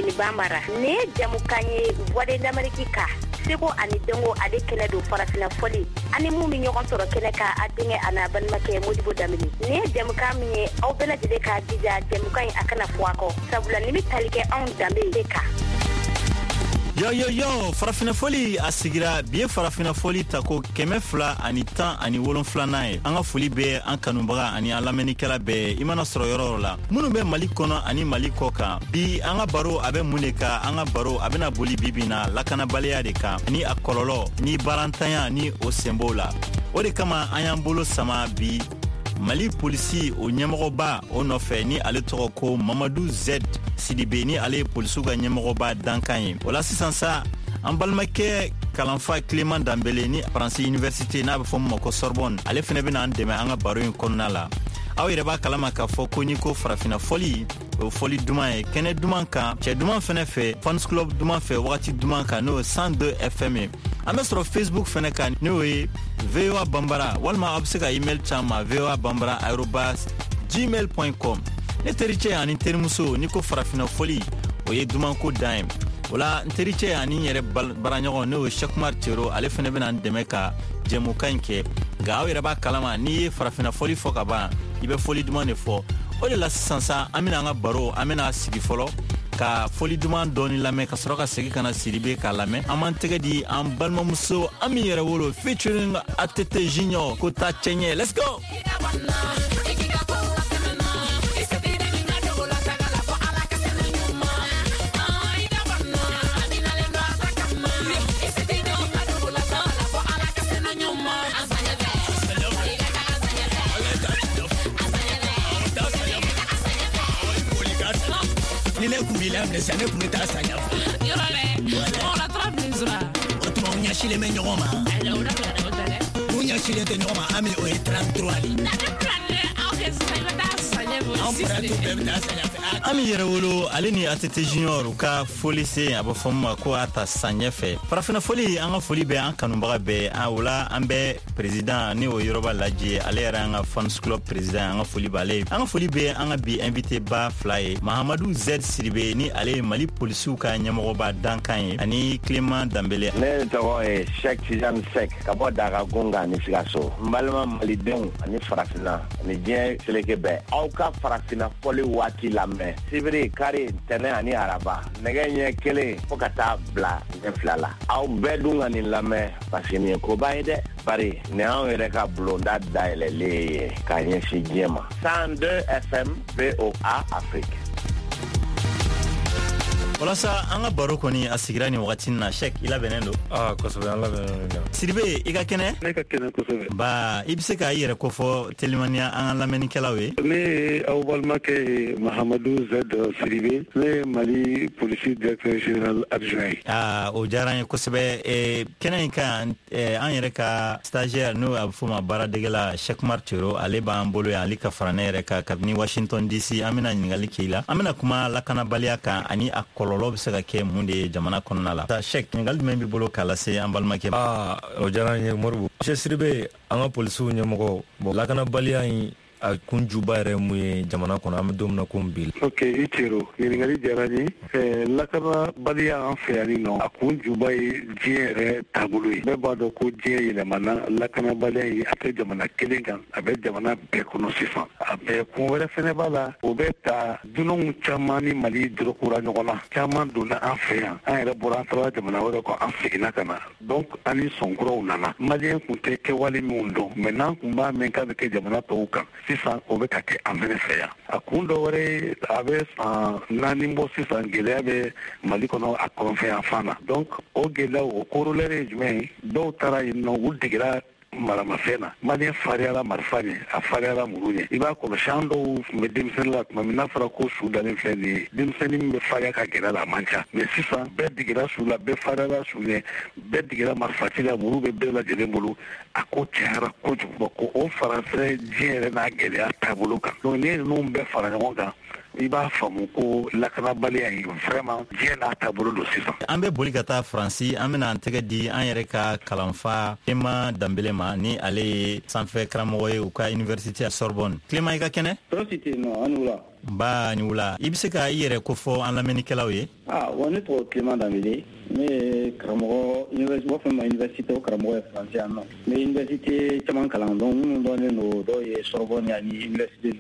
Jeniba mara. Nin ye jamukan ye Voix de l'Amérique ka seko ani dɔnko ale kɛnɛ don farafinna fɔli ani mun bɛ ɲɔgɔn sɔrɔ kɛnɛ kan, a denkɛ a n'a balimakɛ Modibo Danbele. Nin ye jamukan min ye, aw bɛɛ lajɛlen k'a jija jamukan in a kana fɔ a kɔ, sabula nin bɛ tali kɛ anw danbe de kan. Yo yo yo, farafinna fɔli a sigira bi ye farafinna fɔli tako 217nan ye. An ka foli bɛ an kanubaga ani an lamɛnnikɛla bɛɛ, i mana sɔrɔ yɔrɔ yɔrɔ la, minnu bɛ Mali kɔnɔ ani Mali kɔ kan. Bi an ka baro a bɛ mun de kan? An ka baro a bɛna boli bi bi na lakanabaliya de kan ni a kɔlɔlɔ ni baarantanya ni o sen b'o la. O de kama an y'an bolo sama bi Mali polisi o ɲɛmɔgɔba o nɔfɛ, ni ale tɔgɔ ko Mamadu Z Sidibe, ni ale ye polisiw ka ɲɛmɔgɔba dankan ye. O la sisan sa, an balimakɛ kalanfa Clément Danbele ni Faransi université n'a bɛ fɔ min ma ko Sorbonne, ale fɛnɛ bɛna an dɛmɛ an ka baro in kɔnɔna la. Aw yɛrɛ b'a kalama k'a fɔ ko n'i ko farafinna fɔli, o fɔli duman ye kɛnɛ duman kan, cɛ duman fɛnɛ fɛ, fans club duman fɛ, wagati duman kan, n'o ye 102 FM ye. An bɛ sɔrɔ Facebook fɛnɛ kan, n'o ye VOA Bambara, walima aw bɛ se ka email ci an ma voabambara@gmail.com. Ne tericɛ ani terimuso, n'i ko farafinna fɔli, o ye dumanko dan ye. O la n tericɛ ani n yɛrɛ baaraɲɔgɔn, n'o ye Cheikh Umar Tero, ale fɛnɛ bɛna n dɛmɛ ka jɛmukan in kɛ. Nka aw yɛrɛ b'a kalama, n'i ye farafinna fɔli fɔ ka ban, i bɛ fɔli duman de fɔ. O de la sisan sa, an bɛna an ka baro, an bɛna sigi fɔlɔ ka fɔli duman dɔɔni lamɛn, ka sɔrɔ ka segin ka na Sidibe k'a lamɛn. An b'an tɛgɛ di an balimamuso Ami yɛrɛ wolo featuring ATT Junior, ko taa cɛɲɛ. Let's go. Ni ne kun b'i la minɛ sisan, ne kun bɛ taa san ɲɛfɛ. Yɔrɔ dɛ, mɔgɔ la tura bilen sɔrɔ. O tuma u ɲɛsilen bɛ ɲɔgɔn ma. Ayi, o da bila dɛ, o tɛ dɛ. U ɲɛsilen tɛ ɲɔgɔn ma, Ami, o ye 33 de ye. Na ne bila dɛ, aw kɛ sisan, i bɛ taa san ɲɛfɛ, o Anw six fana de. t'u bɛɛ bɛ taa san ɲɛfɛ. Ami yɛrɛ wolo, ale ni ATT Junior u ka foli sen, a bɛ fɔ min ma ko a ta san ɲɛfɛ. Farafinna foli, an ka foli bɛ an kanubaga bɛɛ. An o la an bɛ président ni o yɔrɔba lajɛ, ale yɛrɛ an ka fans club président, an ka foli b'ale ye. An ka foli bɛ an ka bi invité ba fila ye, Mahamadu Z Sidibe, ni ale ye Mali polisiw ka ɲɛmɔgɔba dankan ye, ani Clément Danbele. Ne tɔgɔ ye Cheikh Tidiane Seck ka bɔ Daga Gunga ni Sikaso. N balima malidenw ani farafinna ani diɲɛ seleke bɛɛ, aw ka farafinna fɔli waati lamɛn sibiri, kari, ntɛnɛn ani araba, nɛgɛ ɲɛ 1 fo ka taa bila ɲɛ 2 la. Aw bɛɛ dun ka nin lamɛn, parce que nin ye koba ye dɛ, bari nin y'anw yɛrɛ ka bulonda dayɛlɛlen ye k'a ɲɛsin diɲɛ ma. 102 FM VOA Afrique. Walasa an ka baro kɔni a sigira nin wagati na, Cheikh, i labɛnnen don? Aa, kosɛbɛ, an labɛnnen don. Sidibe, i ka kɛnɛ? Ne ka kɛnɛ kosɛbɛ. Ba, i bɛ se k'a yɛrɛ kofɔ telimaniya an ka lamɛnnikɛlaw ye? Ne ye aw balimakɛ ye, Mahamadu Z Sidibe. Ne ye Mali polisi directeur général adjoint ye. Aa, o diyara an ye kosɛbɛ. Kɛnɛ in kan, an yɛrɛ ka stagiaire, n'o a bɛ f'o ma baaradegela Cheikh Umar Tero, ale b'an bolo yan, ale ka fara ne yɛrɛ kan kabini Washington DC. An bɛna ɲininkali k'i la. An bɛna kuma lakanabaliya kan ani a kɔlɔlɔ bɛ se ka kɛ mun de ye jamana kɔnɔna la. Cheikh, ɲininkali jumɛn b'i bolo k'a lase an balimakɛ ma? Aa, o diyara n ye Moribo. Cheikh Sidibe, an ka polisiw ɲɛmɔgɔ, bon, lakanabaliya in a kunjuba yɛrɛ mun ye jamana kɔnɔ, an bɛ don min na komi bi? Ok, i Cero, ɲininkali diyara n ye. Lakanabaliya an fɛ yan nin nɔ, a kunjuba ye diɲɛ yɛrɛ taabolo ye. Bɛɛ b'a dɔn ko diɲɛ yɛlɛmana, lakanabaliya in a tɛ jamana kelen kan, a bɛ jamana bɛɛ kɔnɔ sisan. A bɛɛ kun wɛrɛ fɛnɛ b'a la, o bɛ ta dunanw caman ni Mali dɔrɔkura ɲɔgɔn na, caman donna an fɛ yan, an yɛrɛ bɔra, an taara jamana wɛrɛ kɔ, an seginna ka na. Donc an ni sɔnkuraw nana. Maliyɛn kun tɛ kɛwale minnu dɔn, mais n'an kun b'a mɛn k'a bɛ kɛ jamana tɔw kan, sisan o bɛ ka kɛ an fɛnɛ fɛ yan. A kun dɔ wɛrɛ ye, a bɛ san 4 bɔ sisan, gɛlɛya bɛ Mali kɔnɔ a kɔrɔnfɛ yan fan na. Donc o gɛlɛyaw, o corollaire ye jumɛn ye? Dɔw taara yen nɔ, u degera maramafɛn na. Maliyɛn fariyara marifa ɲɛ, a fariyara muru ɲɛ. I b'a kɔlɔsi, an dɔw tun bɛ denmisɛnnin la tuma min n'a fɔra ko su dalen filɛ nin ye, denmisɛnnin min bɛ fariya ka gɛrɛ la, a man ca. Mais sisan bɛɛ degera su la, bɛɛ fariyara su ɲɛ, bɛɛ degera marifaci la, muru bɛ bɛɛ lajɛlen bolo. A ko cayara kojugu. Bon, ko o fara fɛnɛ diɲɛ yɛrɛ n'a gɛlɛya taabolo kan. Donc n'i ye ninnu bɛɛ fara ɲɔgɔn kan, I b'a faamu ko lakanabaliya in vraiment diɲɛ n'a taabolo don sisan. An bɛ boli ka taa Faransi, an bɛna an tɛgɛ di an yɛrɛ ka kalanfa Clément Danbele ma, ni ale ye sanfɛ karamɔgɔ ye u ka université Sorbonne. Clément, i ka kɛnɛ? Tɔɔrɔ si tɛ yen nɔ, an ni wula. Nba, ni wula. I bɛ se ka i yɛrɛ kofɔ an lamɛnnikɛlaw ye? Wa ne tɔgɔ Clément Danbele, ne ye karamɔgɔ université, u b'a fɔ ma université, o karamɔgɔ ye Faransi yan nɔ. N bɛ université caman kalan, donc minnu dɔnnen don, dɔw ye Sorbonne ani université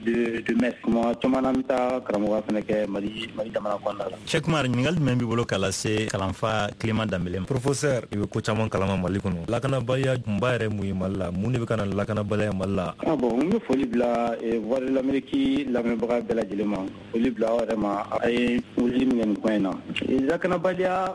de Metz. Kuma caman na, n bɛ taa karamɔgɔya fana kɛ Mali jamana kɔnɔna la. Cheikh Umar, ɲininkali jumɛn b'i bolo k'a lase kalanfa Clément Danbele ma? Professeur, i bɛ ko caman kalama Mali kɔnɔ. Lakanabaliya kunba yɛrɛ mun ye Mali la? Mun de bɛ ka na lakanabaliya Mali la? Bon, n bɛ foli bila Voix de l'Amérique lamɛnbaga bɛɛ lajɛlen ma. Foli bila aw yɛrɛ ma, a ye wuli min kɛ nin kuma in na. Lakanabaliya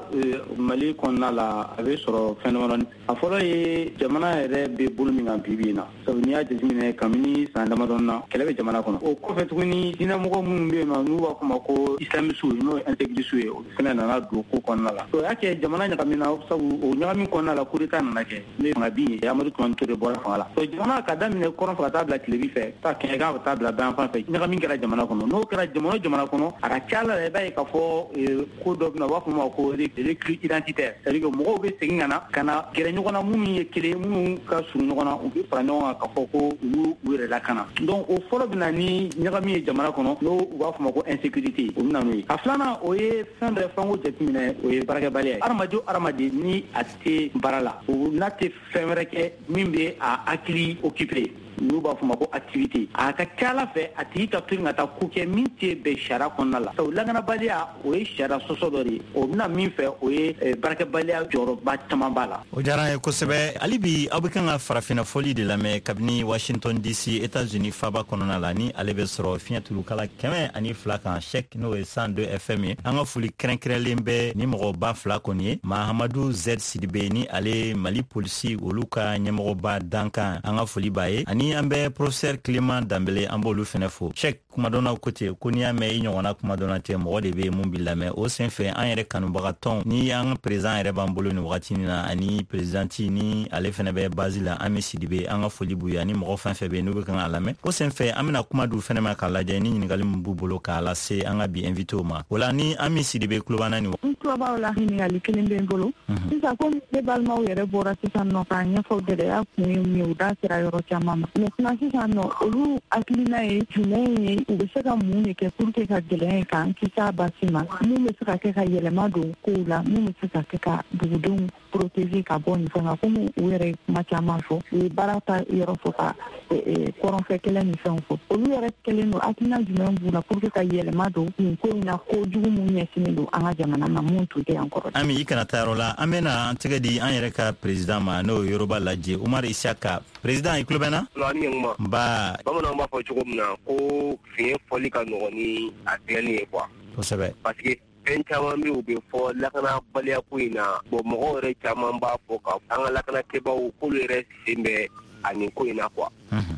Mali kɔnɔna la, a bɛ sɔrɔ fɛn damadɔni. A fɔlɔ ye jamana yɛrɛ bɛ bolo min kan bi bi in na. Sabu n'i y'a jateminɛ kabini san damadɔni na, kɛlɛ bɛ jamana kɔnɔ. O kɔfɛ tuguni, diinɛmɔgɔ minnu bɛ yen nɔ, n'u b'a fɔ ma ko islamisiw, n'o ye intégrisiw ye, olu fana nana don ko kɔnɔna la. O y'a kɛ jamana ɲagamina, sabu o ɲagami kɔnɔna la, coup d'état nana kɛ. Ne fanga bin ye, Amadu Tumani Ture bɔra fanga la. Jamana ka daminɛ kɔrɔn fɛ ka taa bila tilebi fɛ, taa kɛɲɛka ka taa bila bayanfan fɛ, ɲagami kɛra jamana kɔnɔ. N'o kɛra jamana kɔnɔ, a ka ca la, i b'a ye k'a fɔ ko dɔ bɛ na, u b'a fɔ ma ko recul identitaire, c'est-à-dire que mɔgɔw bɛ segin ka na gɛrɛ ɲɔgɔn na, minnu ye kelen, minnu ka surun ɲɔgɔn na, u bɛ fara ɲɔgɔn kan k'a fɔ ko u b'u yɛrɛ lakana. Donc o fɔlɔ bɛ na ni ɲagami ye jamana kɔnɔ, n'o u b'a fɔ ma ko insécurité, o bɛ na n'o ye. A filanan, o ye fɛn dɔ ye f'an k'o jateminɛ, o ye baarakɛbaliya ye. Hadamaden o hadamaden ni a tɛ baara la, o n'a tɛ fɛn wɛrɛ kɛ min bɛ a hakili occupé, n'u b'a fɔ ma ko activité, a ka ca ala fɛ a tigi ka to ka taa ko kɛ min tɛ bɛn sariya kɔnɔna la. Sabu lakanabaliya, o ye sariya sɔsɔ dɔ de ye. O bɛna min fɛ, o ye baarakɛbaliya jɔyɔrɔba caman b'a la. O diyara an ye kosɛbɛ. Hali bi aw bɛ kan ka farafinna fɔli de lamɛn kabini Washington DC, États-Unis faba kɔnɔna la, ni ale bɛ sɔrɔ fiɲɛ tulukala 102 kan, Cheikh, n'o ye 102 FM ye. An ka foli kɛrɛnkɛrɛnlen bɛ ni mɔgɔba fila kɔni ye, Mahamadu Z Sidibe, ni ale Mali polisi olu ka ɲɛmɔgɔba dankan, an ka foli b'a ye, ani an bɛ professeur Clément Danbele, an b'olu fɛnɛ fo. Cheikh, kumadɔnnaw ko ten ko n'i y'a mɛn i ɲɔgɔnna kumadɔnna tɛ, mɔgɔ de bɛ mun b'i lamɛn. O senfɛ, an yɛrɛ kanubagatɔn ni an ka président yɛrɛ b'an bolo nin wagati in na, ani présidente ni ale fɛnɛ bɛ base la, Ami Sidibe, an ka foli b'u ye, ani mɔgɔ fɛn fɛn bɛ yen n'u bɛ kan k'a lamɛn. O senfɛ, an bɛna kuma d'u fɛnɛ ma k'a lajɛ ni ɲininkali min b'u bolo k'a lase an ka bi invité ma. O la, ni Ami Sidibe tulo b'an na nin. N tulo b'aw la. Ɲininkali kelen bɛ n bolo sisan. Komi ne balimaw yɛrɛ bɔra sisan nɔ k'a ɲɛfɔ, gɛlɛya kun ye mun ye, u da sera yɔrɔ caman ma. Maintenant sisan nɔ, olu hakilina ye jumɛn ye? U bɛ se ka mun de kɛ pour que ka gɛlɛya in k'an kisi a basi ma? Mun bɛ se ka kɛ ka yɛlɛma don kow la? Mun bɛ se ka kɛ ka dugudenw protéger ka bɔ nin fɛn kan? Komi u yɛrɛ ye kuma caman fɔ, u ye baara ta yɔrɔ fɔ, ka kɔrɔnfɛ kɛlɛ ni fɛnw fɔ. Olu yɛrɛ kɛlen don, hakilina jumɛn b'u la pour que ka yɛlɛma don nin ko in na, ko jugu mun ɲɛsinnen don an ka jamana ma, mun tun tɛ yan kɔrɔ? Ami, i kana taa yɔrɔ la, an bɛna an tɛgɛ di an yɛrɛ ka président ma, n'o ye Yoroba Lajɛ Umar Isaka. Président, i tulo bɛ n na? Nba. Bamananw b'a fɔ cogo min na ko fiɲɛ fɔli ka nɔgɔn ni a tigɛli ye quoi. Kosɛbɛ. Parce que fɛn caman bɛ, u bɛ fɔ lakanabaliya ko in na. Bon, mɔgɔw yɛrɛ caman b'a fɔ ka an ka lakanakɛbaw k'olu yɛrɛ sen bɛ a nin ko in na quoi.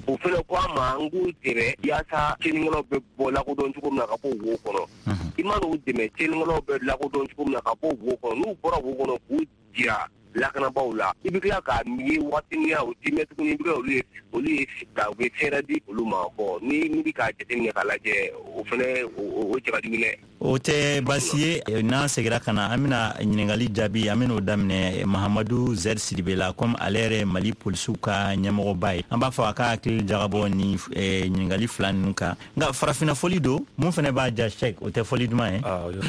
O fɛnɛ ko an ma, an k'u dɛmɛ yaasa tiɲɛnikɛlaw bɛ bɔ lakodɔn cogo min na ka bɔ wo kɔnɔ. I man'u dɛmɛ, tiɲɛnikɛlaw bɛ lakodɔn cogo min na ka bɔ wo kɔnɔ, n'u bɔra wo kɔnɔ k'u jira lakanabaaw la, i bɛ tila k'a ye waati min na, o ti mɛn tuguni, i bɛ olu ye ka u bɛ fɛɛrɛ di olu ma. Bon, ni bɛ k'a jateminɛ k'a lajɛ, o fɛnɛ o cɛ ka jugu dɛ. O tɛ baasi ye. N'an seginna ka na, an bɛna ɲininkali jaabi, an bɛn'o daminɛ Mahamadu Z Sidibe la, komi ale yɛrɛ Mali polisiw ka ɲɛmɔgɔba ye. An b'a fɔ a ka hakili jagabɔ ni ɲininkali fila ninnu kan. Nka farafinna fɔli don, mun fɛnɛ b'a ja, Cheikh, o tɛ fɔli duman ye.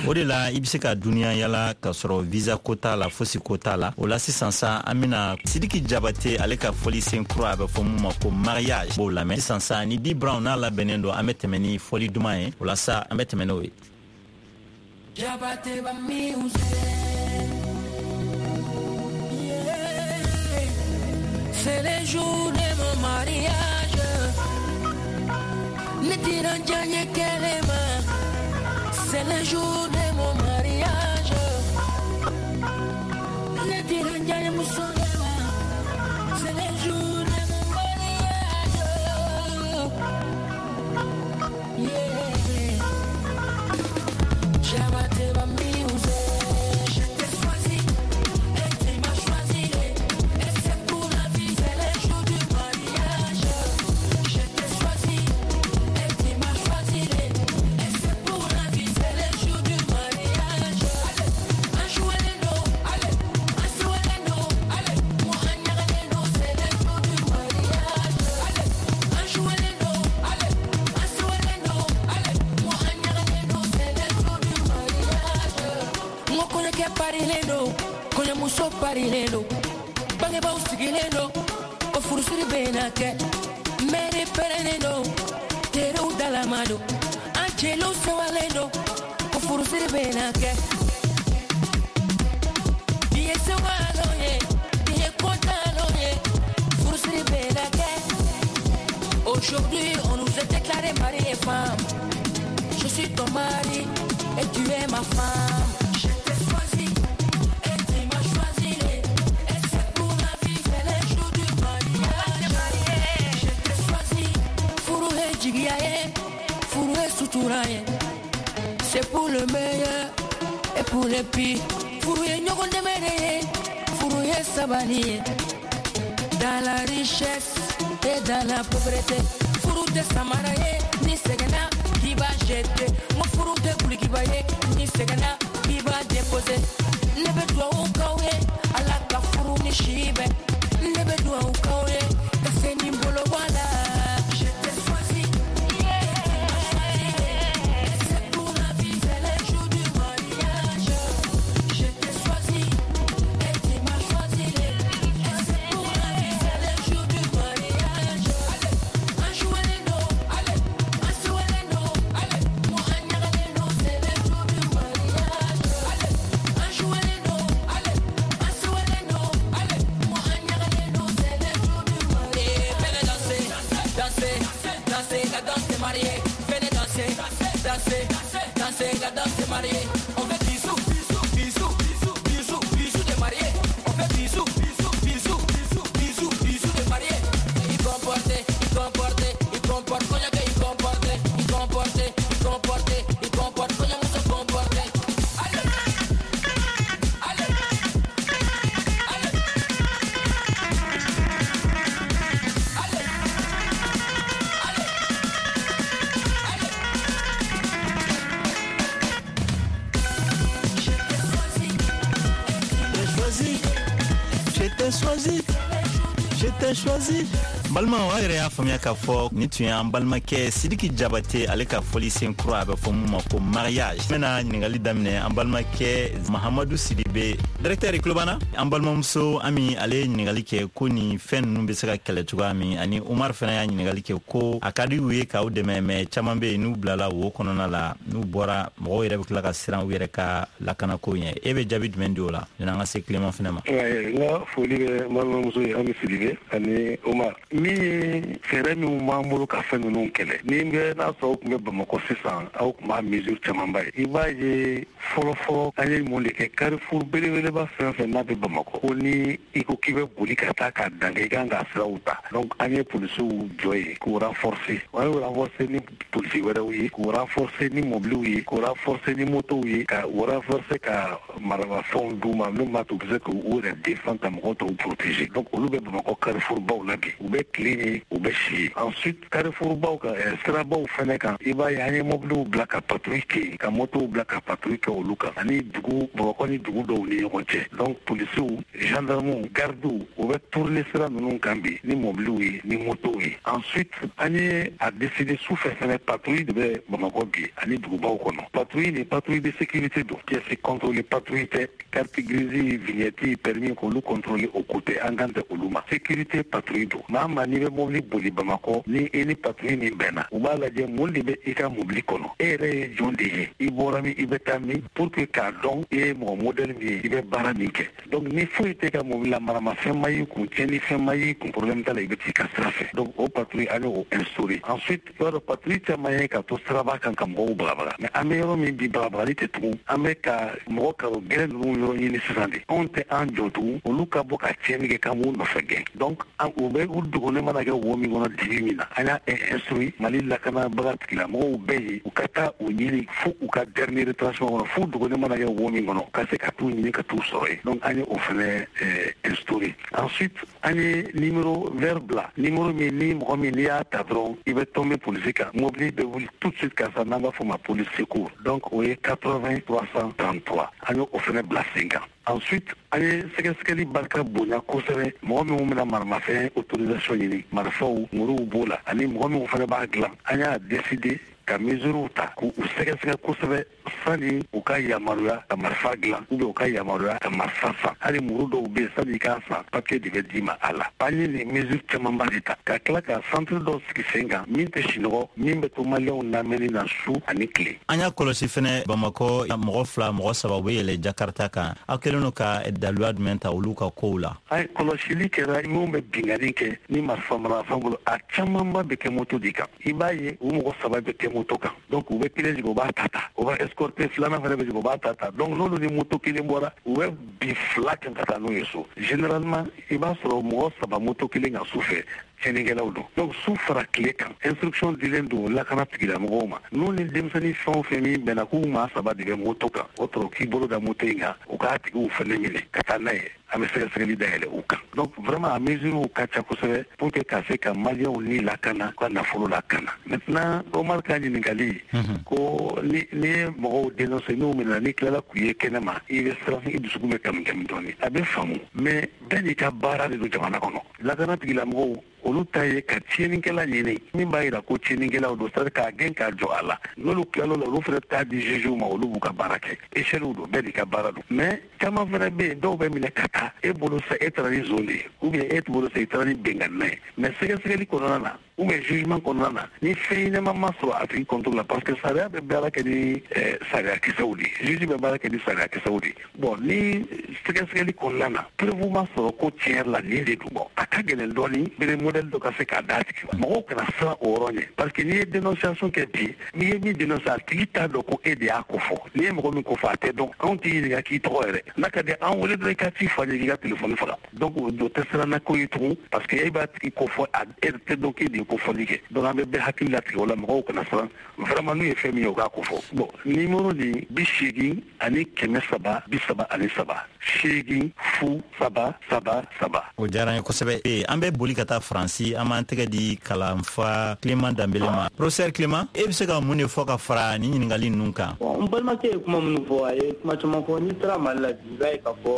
O de la i bɛ se ka duniya yala ka sɔrɔ visa ko t'a la, fosi ko t'a la. O la sisan sa, an bɛna Sidiki Jabate ale ka fɔli sen kura, a bɛ fɔ mun ma ko mariage, b'o lamɛn sisan sa. Ni D Brown n'a labɛnnen don, an bɛ tɛmɛ ni fɔli duman ye. O la sa, an bɛ tɛmɛ n'o ye. Jabate ba music. Yeah. C'est le jour de mon mariage. Ne tiranjanye kelema. C'est le jour de mon mariage. Ne tiranjanye musolema. C'est le jour de mon mariage. Yeah. Jabate ba music. Je t'ai choisi et tu m'as choisi. Et c'est pour la vie, c'est le jour du mariage. Je t'ai choisi et tu m'as choisi. Et c'est pour N ko kɔɲɔkɛ parilen don, kɔɲɔmuso parilen don, bangebaaw sigilen don, ko furusiri bɛna kɛ. Mɛri pɛrɛnnen don, teriw dalama don, an jeliw sewalen don, ko furusiri bɛna kɛ. Bi ye sewalon ye, bi ye kɔntanlon ye, furusiri bɛna kɛ. Aujourd'hui, on nous a déclaré mari et femme. Je suis ton mari et tu es ma femme. Je t'ai choisi et tu m'as choisi. Et c'est pour la vie, c'est le jour du mariage. Je t'ai choisi. Furu ye jigiya ye, furu ye sutura ye. C'est pour le meilleur et pour le pire. Furu ye ɲɔgɔn dɛmɛ de ye, furu ye sabali ye. Dans la richesse et dans la pauvreté. Furu tɛ samara ye, ni sɛgɛnna k'i b'a jeter. N ko furu tɛ kulikiba ye, ni sɛgɛnna k'i b'a déposer. Ne bɛ duwawu k'aw ye, Ala ka furu ni si bɛn. Ne bɛ duwawu k'aw ye, ka se nin bolo bɔ a la. Je t'ai choisi, et c'est pour la vie, c'est le jour du mariage. Je t'ai choisi, et tu m'as choisi. Et c'est pour la vie, c'est le jour du mariage. An jouelen don, an sewelen don, ko an ɲagalen don, c'est le jour du mariage. An jouelen don, an sewelen don, ko an ɲagalen don, c'est le jour du mariage. Venez danser, danser, danser la danse des mariés. Venez danser, danser, danser la danse des mariés. On fait bisous, bisous, bisous, bisous, bisous, bisous des mariés. On fait bisous, bisous, bisous, bisous, bisous, bisous des mariés. Il comporte, il comporte, il comporte, coño que il comporte, il comporte, il comporte, il comporte, coño mucho comporte. Allez, allez, allez, allez, allez, allez. Je t'ai choisi, choisi, je t'ai choisi, je t'ai choisi. Balimaw, aw yɛrɛ y'a faamuya k'a fɔ nin tun y'an balimakɛ Sidiki Jabate ale ka fɔlisen kura, a bɛ fɔ mun ma ko mariage. N bɛna ɲininkali daminɛ an balimakɛ Mahamadu Sidibe, directeur i tulo b'an na. An balimamuso Ami, ale ye ɲininkali kɛ ko nin fɛn ninnu bɛ se ka kɛlɛ cogoya min, ani Umar fana y'a ɲininkali kɛ ko a ka di u ye k'aw dɛmɛ, mais caman bɛ yen n'u bilala wo kɔnɔna la, n'u bɔra, mɔgɔw yɛrɛ bɛ tila ka siran u yɛrɛ ka lakanako ɲɛ. E bɛ jaabi jumɛn di o la yanni an ka se Clément fana ma? N ka foli bɛ n balimamuso ye Ami Sidibe ani Umar. Min ye fɛɛrɛ minnu b'an bolo ka fɛn ninnu kɛlɛ, ni bɛ n'a sɔrɔ aw tun bɛ Bamakɔ sisan, aw tun b'a mesure camanba ye. I b'a ye fɔlɔ fɔlɔ an ye mun de kɛ? Carrefour belebeleba fɛn fɛn n'a bɛ Bamakɔ, ko ni i ko k'i bɛ boli ka taa k'a dan kɛ, i kan ka siraw ta. Donc an ye polisiw jɔ yen k'u renforcer. An y'u renforcer ni polisi wɛrɛw ye, k'u renforcer ni mobiliw ye, k'u renforcer ni motow ye, ka u renforcer ka maramafɛnw d'u ma min b'a to u bɛ se k'u yɛrɛ défendre, ka mɔgɔw tɔw protéger. Donc olu bɛ Bamakɔ carrefour baw la bi, u bɛ tile ye, u bɛ si ye. Ensuite carrefour baw kan, sirabaw fɛnɛ kan, i b'a ye an ye mobiliw bila ka patrouille kɛ yen, ka motow bila ka patrouille kɛ olu kan, ani dugu Bamakɔ ni dugu dɔw ni ɲɔgɔn cɛ. Donc polisiw, gendarmew, gardiw, u bɛ tourner sira ninnu kan bi ni mobiliw ye, ni motow ye. Ensuite an ye a décider sufɛ fɛnɛ, patrouille de bɛ Bamakɔ bi ani dugubaw kɔnɔ. Patrouille ni patrouille de sécurité don, pièce contrôler patrouille tɛ, carte grise, vignette, permis k'olu contrôler o ko tɛ, an kan tɛ olu ma. Sécurité patrouille don. Maa maa n'i bɛ mobili boli Bamakɔ, ni e ni patrouille min bɛnna, u b'a lajɛ mun de bɛ i ka mobili kɔnɔ, e yɛrɛ ye jɔn de ye, i bɔra min, i bɛ taa min, pour que k'a dɔn i ye mɔgɔ modèle min ye, i bɛ baara min kɛ. Donc ni foyi tɛ ka mobili la, maramafɛn ma y'i kun, tiɲɛnifɛn ma y'i kun, problème t'a la, i bɛ t'i ka sira fɛ. Donc o patrouille an y'o instauré. Ensuite i b'a dɔn patrouille caman ye ka to siraba kan ka mɔgɔw bagabaga, mais an bɛ yɔrɔ min bi, bagabagali tɛ tugun. An bɛ ka mɔgɔ karo gɛlɛn ninnu yɔrɔ ɲini sisan de, anw tɛ an jɔ tugun, olu ka bɔ ka tiɲɛni kɛ k'an b'u nɔfɛ gɛn. Donc u bɛ u dogolen mana kɛ wo min kɔnɔ, dibi min na, an y'a instruit Mali lakanabaga tigilamɔgɔw bɛɛ ye, u ka taa u ɲini fo u ka dernier retranchement kɔnɔ, fo dogolen mana kɛ wo min kɔnɔ, ka se ka t'u ɲini ka t'u sɔrɔ yen. Donc an ye o fɛnɛ instauré. Ensuite an ye numéro vert bila, numéro min ni mɔgɔ min n'i y'a ta dɔrɔn i bɛ tomber polisi kan, mobili bɛ wuli tout de suite ka sa, n'an b'a fɔ o ma police secours. Donc o ye 80 333, an ye o fɛnɛ bila sen kan. Ensuite an ye sɛgɛsɛgɛli barika bonya kosɛbɛ. Mɔgɔ minnu bɛna maramafɛn autorisation ɲini, marifaw, muruw b'o la, ani mɔgɔ minnu fana b'a dilan, an y'a décider ka mesures ta k'u sɛgɛsɛgɛ kosɛbɛ sani u ka yamaruya ka marifa dilan ou bien u ka yamaruya ka marifa san. Hali muru dɔw bɛ yen, sani i k'a san, papier de bɛ d'i ma a la. An ye nin mesure camanba de ta ka tila ka centre dɔw sigi sen kan min tɛ sinɔgɔ, min bɛ to maliyɛnw lamɛnni na su ani tile. An y'a kɔlɔsi fɛnɛ Bamakɔ, mɔgɔ 2, mɔgɔ 3 u bɛ yɛlɛ Jakarta kan. Aw kɛlen don ka daluya jumɛn ta olu ka kow la? Ayi, kɔlɔsili kɛra. Minnu bɛ binkanni kɛ ni marifa marafɛn bolo, a camanba bɛ kɛ moto de kan. I b'a ye u mɔgɔ 3 bɛ kɛ moto kan, donc u bɛ kelen jigin, u b'a ta ta, u b'a escorter, filanan fana bɛ jigin, u b'a ta ta. Donc n'olu ni moto kelen bɔra, u bɛ bin 2 kan ka taa n'u ye so. Généralement i b'a sɔrɔ mɔgɔ 3 moto kelen kan su fɛ, tiɲɛnikɛlaw don. Donc su fara tile kan, instruction dilen don lakana tigilamɔgɔw ma, n'u ni denmisɛnnin fɛn o fɛn min bɛnna k'u maa 3 de bɛ moto kan, o tɔrɔ k'i bolo da moto in kan, u k'a tigiw fɛnɛ minɛ ka taa n'a ye, an bɛ sɛgɛsɛgɛli dayɛlɛ u kan. Donc vraiment a mesures ka ca kosɛbɛ pour que ka se ka maliyɛnw ni lakana, u ka nafolo lakana. Maintenant Omar ka ɲininkali ko ni ye mɔgɔw dénoncer, n'u minɛna, n'i tilala k'u ye kɛnɛ ma, i bɛ siran, i dusukun bɛ kami kami dɔɔni. A bɛ faamu, mais bɛɛ n'i ka baara de don jamana kɔnɔ. Lakana tigilamɔgɔw, olu ta ye ka tiɲɛnikɛla ɲini min b'a yira ko tiɲɛnikɛlaw don, c'est à dire k'a gɛn k'a jɔ a la. N'olu tilal'o la, olu fana t'a di juge ma, olu b'u ka baara kɛ. Échelle don, bɛɛ n'i ka baara don. Mais caman fana bɛ yen, dɔw bɛ minɛ ka taa, e bolo sa e taara ni zon de ye, ou bien e bolo sa i taara ni binkanina ye. Mais sɛgɛsɛgɛli kɔnɔna na ou bien jugement kɔnɔna na, ni fɛn ɲɛnama ma sɔrɔ a tigi contre la, parce que sariya bɛ baara kɛ ni sariyakisɛw de ye, juge bɛ baara kɛ ni sariyakisɛw de ye. Bon, ni sɛgɛsɛgɛli kɔnɔna na preuve ma sɔrɔ ko tiɲɛ yɛrɛ la nin de don, bon a ka gɛlɛn dɔɔni bere modèle dɔ ka se k'a d'a tigi ma. Mɔgɔw kana siran o yɔrɔ ɲɛ, parce que n'i ye dénonciation kɛ bi, n'i ye min dénoncer, a tigi t'a dɔn ko e de y'a ko fɔ. N'i ye mɔgɔ min ko fɔ, a tɛ dɔn. Anw t'i ɲininka k'i tɔgɔ yɛrɛ, n'a ka di an wele dɔrɔn i ka ci fɔ an ye k'i ka téléphone faga. Donc o tɛ siranna ko ye tugun, parce que e b'a tigi ko fɔ, a e tɛ dɔn k'e de ye ko fɔli kɛ. Donc an bɛ bɛɛ hakili latigɛ o la, mɔgɔw kana siran vraiment, n'u ye fɛn min ye, u k'a ko fɔ. Bon, numéro nin 80 ani 333 8 0 3 3 3. O diyara n ye kosɛbɛ. An bɛ boli ka taa Faransi, an b'an tɛgɛ di kalanfa Clément Danbele ma. Professeur Clément, e bɛ se ka mun de fɔ ka fara nin ɲininkali ninnu kan? N balimakɛ ye kuma minnu fɔ, a ye kuma caman fɔ. N'i taara Mali la bi, i b'a ye k'a fɔ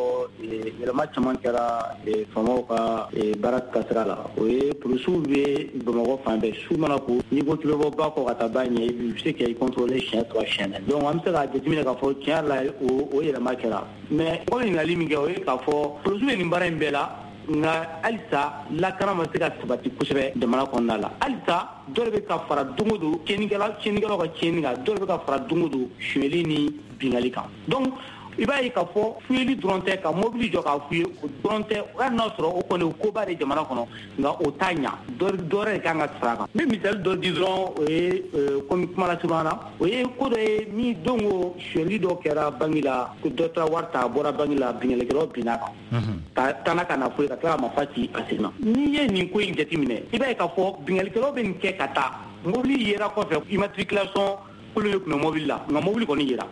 yɛlɛma caman kɛra faamaw ka baara taasira la. O ye polisiw bɛ Bamakɔ fan bɛɛ, su mana ko, n'i ko k'i bɛ bɔ ba kɔ ka taa ba ɲɛ, i bɛ se k'i contrôler siɲɛ 3, siɲɛ 4. Donc an bɛ se k'a jateminɛ k'a fɔ tiɲɛ yɛrɛ la o yɛlɛma kɛra. Mais mɔgɔ ɲininkali min kɛ, o ye k'a fɔ polisiw bɛ nin baara in bɛɛ la, nka halisa lakana ma se ka sabati kosɛbɛ jamana kɔnɔna la. Halisa dɔ de bɛ ka fara don o don tiɲɛnikɛlaw ka tiɲɛni kan, dɔ de bɛ ka fara don o don sonyɛli ni binkanni kan. Donc i b'a ye k'a fɔ fuyeli dɔrɔn tɛ, ka mobili jɔ k'a fuye o dɔrɔn tɛ. Hali n'a sɔrɔ o kɔni o koba de jamana kɔnɔ, nka o t'a ɲa, dɔ wɛrɛ de kan ka fara a kan. N bɛ misali dɔ di dɔrɔn, o ye komi kuma lasurunya na, o ye ko dɔ ye min don ko sonyɛli dɔ kɛra banki la, ko dɔ taara wari ta, a bɔra banki la, binkannikɛlaw binna a kan ka taa n'a ka nafolo ye, ka tila ka marifa ci a sen na. N'i ye nin ko in jateminɛ, i b'a ye k'a fɔ binkannikɛlaw bɛ nin kɛ ka taa mobili yera kɔfɛ, immatriculation kolo de tun bɛ mobili la, nka mobili kɔni yera.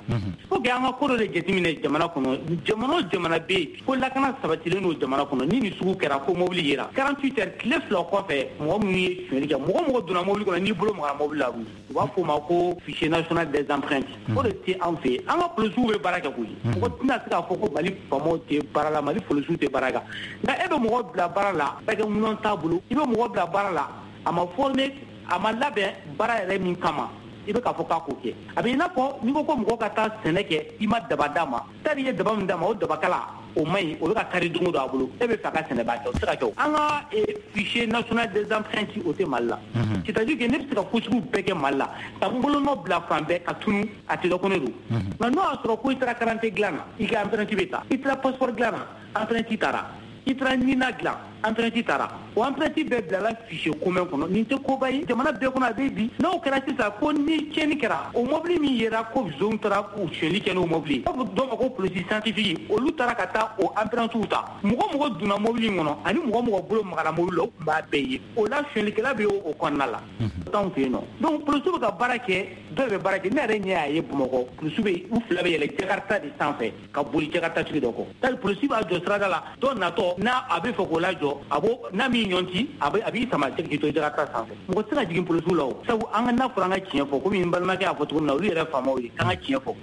Faut que an ka ko dɔ de jateminɛ jamana kɔnɔ. Jamana o jamana bɛ yen ko lakana sabatilen don jamana kɔnɔ, ni nin sugu kɛra ko mobili yera 48 heures, tile 2 kɔfɛ, mɔgɔ minnu ye sonyɛli kɛ, mɔgɔ donna mobili kɔnɔ, n'i bolo magara mobili la, u b'a fɔ o ma ko fichier national des empreintes. O de tɛ anw fɛ yen. An ka polisiw bɛ baara kɛ koyi, mɔgɔ tɛna se k'a fɔ ko Mali faamaw tɛ baara la, Mali polisiw tɛ baara kɛ. Nka e bɛ mɔgɔ bila baara la, baarakɛminɛn t'a bolo, i bɛ mɔgɔ bila baara la, a ma former, a ma labɛn baara yɛrɛ min kama, i bɛ k'a fɔ k'a k'o kɛ. A bɛ i n'a fɔ n'i ko ko mɔgɔ ka taa sɛnɛ kɛ, i ma daba d'a ma, tari ye daba min d'a ma, o dabakala o man ɲi, o bɛ ka kari don o don a bolo, e bɛ fɛ a ka sɛnɛba kɛ, o tɛ se ka kɛ o. An ka fichier national des empreintes, o tɛ Mali la. C'est à dire que ne bɛ se ka ko sugu bɛɛ kɛ Mali la, ka n bolonɔ bila fan bɛɛ ka tunu, a tɛ dɔn ko ne don. Nka n'o y'a sɔrɔ ko i taara carte dilan na, i ka empreinte bɛ ta, i taara passeport dilan na, empreinte taara, i taara NINA dilan, empreinte taara, o empreinte bɛɛ bilala fichier commun kɔnɔ. Nin tɛ koba ye jamana bɛɛ kɔnɔ, a bɛ bi. N'o kɛra sisan ko ni tiɲɛni kɛra, o mobili min yera ko zon taara k'u sonyɛli kɛ n'o mobili ye, u b'a fɔ dɔw ma ko polisi scientifique, olu taara ka taa o empreintes ta. Mɔgɔ donna mobili in kɔnɔ ani mɔgɔ bolo magara mobili la, o tun b'a bɛɛ ye. O la sonyɛlikɛla bɛ o kɔnɔna la. T'anw fɛ yen nɔ. Donc polisiw bɛ ka baara kɛ, dɔw bɛ baara kɛ. Ne yɛrɛ ɲɛ y'a ye Bamakɔ, polisiw bɛ u fila bɛ yɛlɛ Jakarta de sanfɛ ka boli Jakarta tigi dɔ kɔ. Tari polisi b'a jɔ sirada la, dɔ natɔ n'a a bɛ fɛ k'o lajɔ, a b'o n'a m'i ɲɔnti, a b'i sama k'i to Jakarta sanfɛ. Mɔgɔ tɛ se ka jigin polisiw la o. Sabu an ka n'a fɔra an ka tiɲɛ fɔ, komi n balimakɛ y'a fɔ cogo min na, olu yɛrɛ faamaw ye, k'an ka tiɲɛ fɔ.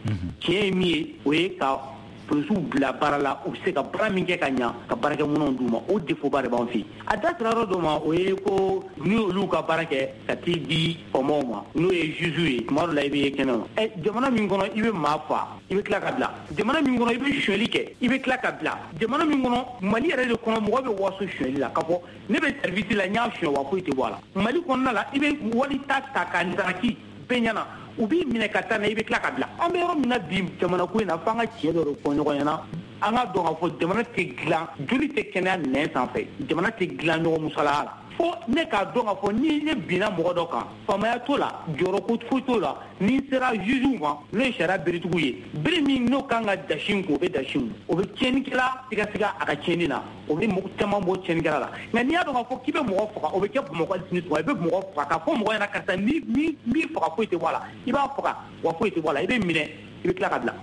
Tiɲɛ ye min ye, o ye ka Polisiw bila baara la, u bɛ se ka baara min kɛ ka ɲa, ka baarakɛminɛnw d'u ma. O défaut ba de b'an fɛ yen. A da sera yɔrɔ dɔ ma, o ye ko ni olu ka baara kɛ ka t'i di faamaw ma, n'o ye juge ye, tuma dɔ la i bɛ ye kɛnɛ ma. Jamana min kɔnɔ i bɛ maa fa, i bɛ tila ka bila. Jamana min kɔnɔ i bɛ sonyali kɛ, i bɛ tila ka bila. Jamana min kɔnɔ, Mali yɛrɛ de kɔnɔ, mɔgɔ bɛ waso sonyali la k'a fɔ ne bɛ service la, n y'a sonyɛ wa foyi tɛ bɔ a la. Mali kɔnɔna la, i bɛ wali ta k'a ndaraki bɛɛ ɲɛna, u b'i minɛ ka taa n'a ye, i bɛ tila ka bila. An bɛ yɔrɔ min na bi jamana ko in na, f'an ka tiɲɛ dɔ de fɔ ɲɔgɔn ɲɛna. An ka dɔn k'a fɔ jamana tɛ dilan, joli tɛ kɛnɛya nɛn sanfɛ, jamana tɛ dilan ɲɔgɔn musalaya la. Fo ne k'a dɔn k'a fɔ ni ne binna mɔgɔ dɔ kan, faamaya t'o la, jɔyɔrɔ ko foyi t'o la. Ni n sera juge ma, n'o ye sariya beretigiw ye, bere min n'o kan ka dasi n kun, o bɛ dasi n kun, o bɛ tiɲɛnikɛla sigasiga a ka tiɲɛni na, o bɛ mɔgɔ caman bɔ tiɲɛnikɛla la. Nka n'i y'a dɔn k'a fɔ k'i bɛ mɔgɔ faga, o bɛ kɛ Bamakɔ hali sini sɔgɔma, i bɛ mɔgɔ faga k'a fɔ mɔgɔ ɲɛna karisa ni b'i faga foyi tɛ bɔ a la, i b'a faga wa foyi tɛ bɔ a la, i bɛ minɛ, i bɛ tila ka bila.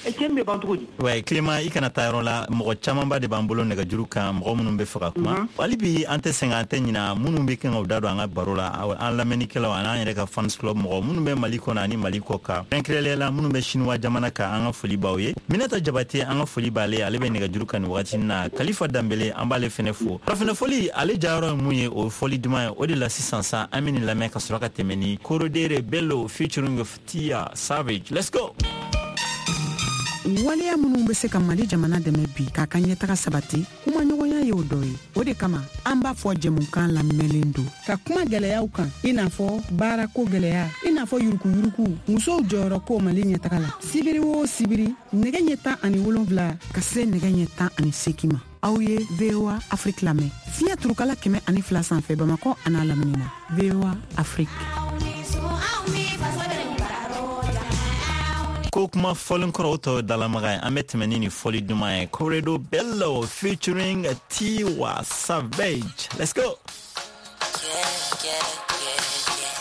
Tiɲɛni bɛ ban cogo di? Ouais, Clément, i kana taa yɔrɔ la, mɔgɔ camanba de b'an bolo nɛgɛjuru kan, mɔgɔ minnu bɛ fɛ ka kuma. Hali bi an tɛ sɛgɛn, an tɛ ɲina minnu bɛ kan k'u da don an ka baro la, an lamɛnnikɛlaw ani an yɛrɛ ka fans club mɔgɔ minnu bɛ Mali kɔnɔ ani Mali kɔ kan, kɛrɛnkɛrɛnnenya la minnu bɛ Chinois jamana kan, an ka foli b'aw ye. Minata Jabate, an ka foli b'ale, ale bɛ nɛgɛjuru kan nin wagati na. Kalifa Danbele, an b'ale fɛnɛ fo. Farafinna fɔli, ale jayɔrɔ ye mun ye, o ye fɔli duman ye. O de la sisan sa, an bɛ nin lamɛn ka sɔrɔ ka tɛmɛ ni Korodere Bello featuring Tia Savage. Let's go. Waleya minnu bɛ se ka Mali jamana dɛmɛ bi k'a ka ɲɛtaga sabati, kumaɲɔgɔnya y'o dɔ ye. O de kama an b'a fɔ jɛmukan lamɛnlen don ka kuma gɛlɛyaw kan, i n'a fɔ baarako gɛlɛya, i n'a fɔ yurukuyuruku, musow jɔyɔrɔ ko Mali ɲɛtaga la. Sibiri o sibiri, nɛgɛ ɲɛ 17 ka se nɛgɛ ɲɛ 18 ma, aw ye VOA Afrique lamɛn fiɲɛ turukala 102 sanfɛ Bamakɔ an'a lamini na. VOA Afrique. Ko kuma fɔlen kɔrɔ o tɔ dalamaga ye, an bɛ tɛmɛ ni nin fɔli duman ye. Corredo Bello featuring Tiwa Savage. Let's go. Yeah, yeah, yeah, yeah.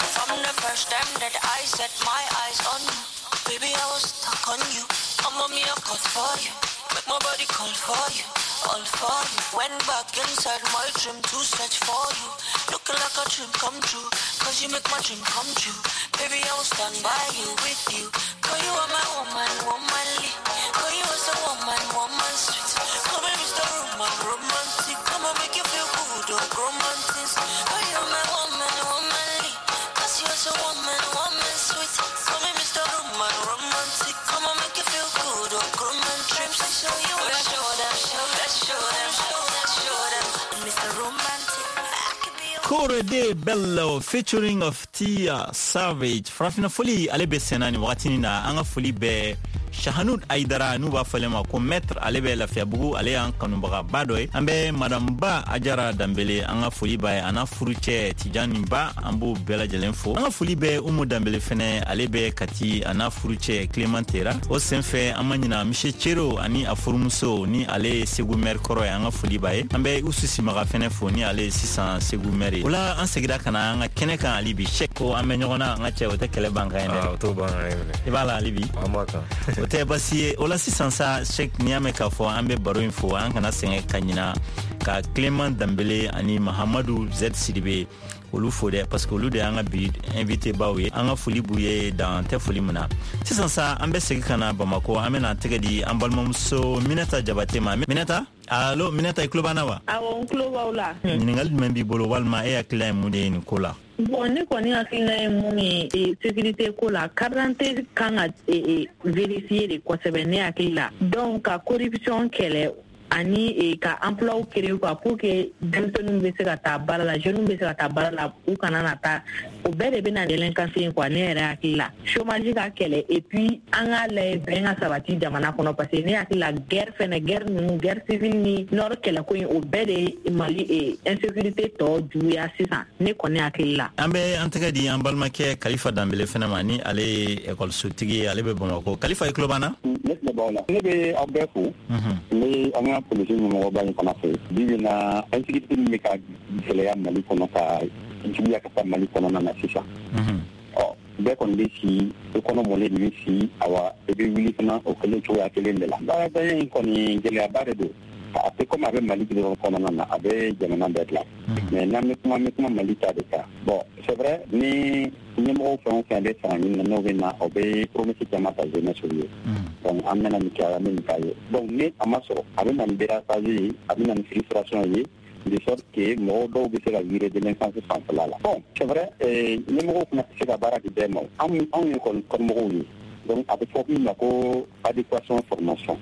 From the first time that I set my eyes on you, baby, I was stuck on you. I'm on me, I caught for you. Make my body call for you, all for you. Went back inside my dream to search for you. Looking like a dream come true, cause you make my dream come true. Baby, I will stand by you, with you. Cause you are my woman, womanly. Cause you are so woman, woman sweet. Come and Mr. Roman, romantic. Come and make you feel good, oh, romantic. Cause you are my woman, womanly. Cause you are so woman, woman sweet. Come and Mr. Roman, romantic. Come and make you feel good, oh, romantic. Show you, show them, show them, show them, show them, show them. Mr. Romantic. Korede Bello featuring of Tia Savage. Farafina foli ale bɛ senna nin wagati na. An ka foli bɛ Shahanud Aidara, n'u b'a fɔlen ma ko maître, ale bɛ Lafiyabugu, ale y'an kanubagaba dɔ ye. An bɛ madame Ba Ajara Danbele, an ka foli b'a ye, a n'a furucɛ Tijani Ba, an b'o bɛɛ lajɛlen fo. An ka foli bɛ Umu Danbele fɛnɛ, ale bɛ Kati, a n'a furucɛ Clément Tera. O senfɛ an ma ɲina Monsieur Cero ani a furumuso, ni ale ye Segu maire kɔrɔ ye, an ka foli b'a ye. An bɛ Usu Simaga fɛnɛ fo, ni ale ye sisan Segu maire ye. O la an segira ka na an ka kɛnɛ kan hali bi. Sɛk, ko an bɛ ɲɔgɔn na, an ka cɛ, o tɛ kɛlɛ ban kan ye dɛ. O t'o ban kan ye minɛ. I b'a la hali bi? An b'a kan. O tɛ basi ye. O la sisan sa, Sɛk, n'i y'a mɛn k'a fɔ an bɛ baro in fo, an kana sɛgɛn ka ɲina ka Clément Danbele ani Mahamadu Z Sidibe olu fo dɛ, parce que olu de y'an ka bi invité baw ye. An ka foli b'u ye dan tɛ foli min na. Sisan sa, an bɛ segin ka na Bamakɔ, an bɛna tɛgɛ di an balimamuso Minata Jabate ma. Minata, allo Minata, i tulo b'an na wa? Awɔ, n tulo b'aw la. Ɲininkali jumɛn b'i bolo walima e hakilina ye mun de ye nin ko la? Bon, ne kɔni hakilina ye mun ye sécurité ko la, carte d'identité kan ka vérifier de kosɛbɛ ne hakili la. Donc ka corruption kɛlɛ ani ka emploi créer quoi, pour que denmisɛnninw bɛ se ka taa baara la, jeunes bɛ se ka taa baara la, u kana na taa, o bɛɛ de bɛ na délinquance ye quoi, ne yɛrɛ hakili la. Chômage ka kɛlɛ, et puis an k'a lajɛ bɛn ka sabati jamana kɔnɔ, parce que ne hakili la guerre fɛnɛ, guerre ninnu, guerre civile ni nord kɛlɛko in, o bɛɛ de ye Mali insécurité tɔ juguya sisan, ne kɔni hakili la. An bɛ an tɛgɛ di an balimakɛ Kalifa Danbele fɛnɛ ma, ni ale ye ekɔlisotigi ye, ale bɛ Bamakɔ. Kalifa, i tulo b'an na? Ne tulo b'aw la. Ne bɛ aw bɛɛ fo. Ne an ka polisi ɲɛmɔgɔba in fana fɛ. Bi bi na, insécurité min bɛ ka gɛlɛya Mali kɔnɔ, ka juguya ka taa Mali kɔnɔna na sisan. Ɔ, bɛɛ kɔni bɛ si, i kɔnɔ mɔlen de bɛ si, awa i bɛ wuli fana o kelen cogoya kelen de la. Baaratanya in kɔni gɛlɛyaba de don. A tɛ komi a bɛ Mali dɔrɔn kɔnɔna na, a bɛ jamana bɛɛ dilan. Mais n'an bɛ kuma, an bɛ kuma Mali ta de kan. Bon, c'est vrai, ni ɲɛmɔgɔw fɛn o fɛn bɛ fanga ɲini na, n'o bɛ na, o bɛ promesse caman ta jeunesse ye. Donc an bɛna nin kɛ, an bɛ nin k'a ye. Donc ni a ma sɔrɔ, a bɛ na ni dérapage ye, a bɛ na ni frustration ye, de sorte que mɔgɔw dɔw bɛ se ka virer délinquance fanfɛla la. Bon, c'est vrai, ɲɛmɔgɔw fana tɛ se ka baara di bɛɛ ma. Anw ye kɔnimɔgɔw ye. Donc a bɛ fɔ min ma ko adéquation formation.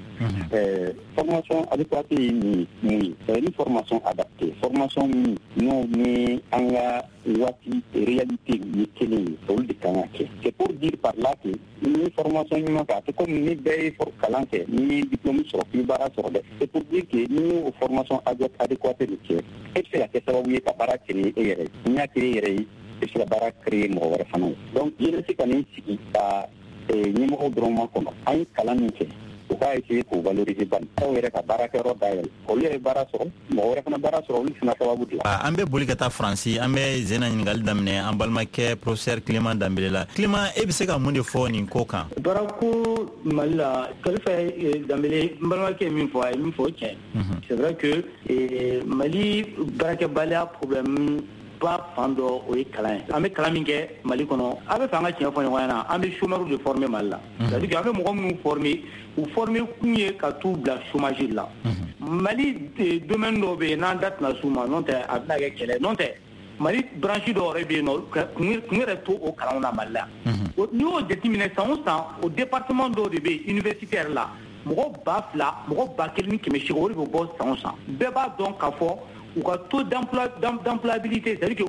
Formation adéquate ye mun ye? C'est une formation adaptée. Formation min n'o ni an ka waati réalité ye kelen ye, olu de kan ka kɛ. C'est pour dire par là que ni formation ɲuman kɛ, a tɛ komi ni bɛɛ ye kalan kɛ, ni ye diplôme sɔrɔ k'i bɛ baara sɔrɔ dɛ. C'est pour dire que n'i y'o formation adéquate de kɛ, e bɛ se ka kɛ sababu ye ka baara créer e yɛrɛ ye. N'i y'a créer e yɛrɛ ye, e bɛ se ka baara créer mɔgɔ wɛrɛ fana ye. Donc jeunesse ka n'i sigi ka ɲɛmɔgɔw dɔrɔn ma kɔnɔ, an ye kalan min kɛ, u k'a essayer k'o valoriser bani, aw yɛrɛ ka baarakɛyɔrɔ dayɛlɛ, olu yɛrɛ baara sɔrɔ, mɔgɔ wɛrɛ fana baara sɔrɔ, olu fana sababu dilan. An bɛ boli ka taa Faransi, an bɛ Zena ɲininkali daminɛ an balimakɛ professeur Clément Danbele la. Clément, e bɛ se ka mun de fɔ nin ko kan? Baarako Mali la, Kalifa Danbele, n balimakɛ ye min fɔ, a ye min fɔ, o tiɲɛ. C'est vrai que Mali baarakɛbaliya problème ba fan dɔ, o ye kalan ye. An bɛ kalan min kɛ Mali kɔnɔ, a bɛ fɛ an ka tiɲɛ fɔ ɲɔgɔn ɲɛna, an bɛ chômeurs de former Mali la. C'est à dire que an bɛ mɔgɔ minnu former, u former kun ye ka t'u bila chômage la. Mali domaine dɔw bɛ yen, n'an da tɛna s'u ma, n'o tɛ a bɛna kɛ kɛlɛ. N'o tɛ Mali branche dɔw yɛrɛ bɛ yen nɔ, kun yɛrɛ t'o o kalanw na Mali la. N'i y'o jateminɛ, san o san, o département dɔw de bɛ yen université yɛrɛ la, mɔgɔ 2000, mɔgɔ 1800, o de bɛ bɔ san o san. Bɛɛ b'a dɔn k'a fɔ u ka taux d'employabilité, c'est à dire que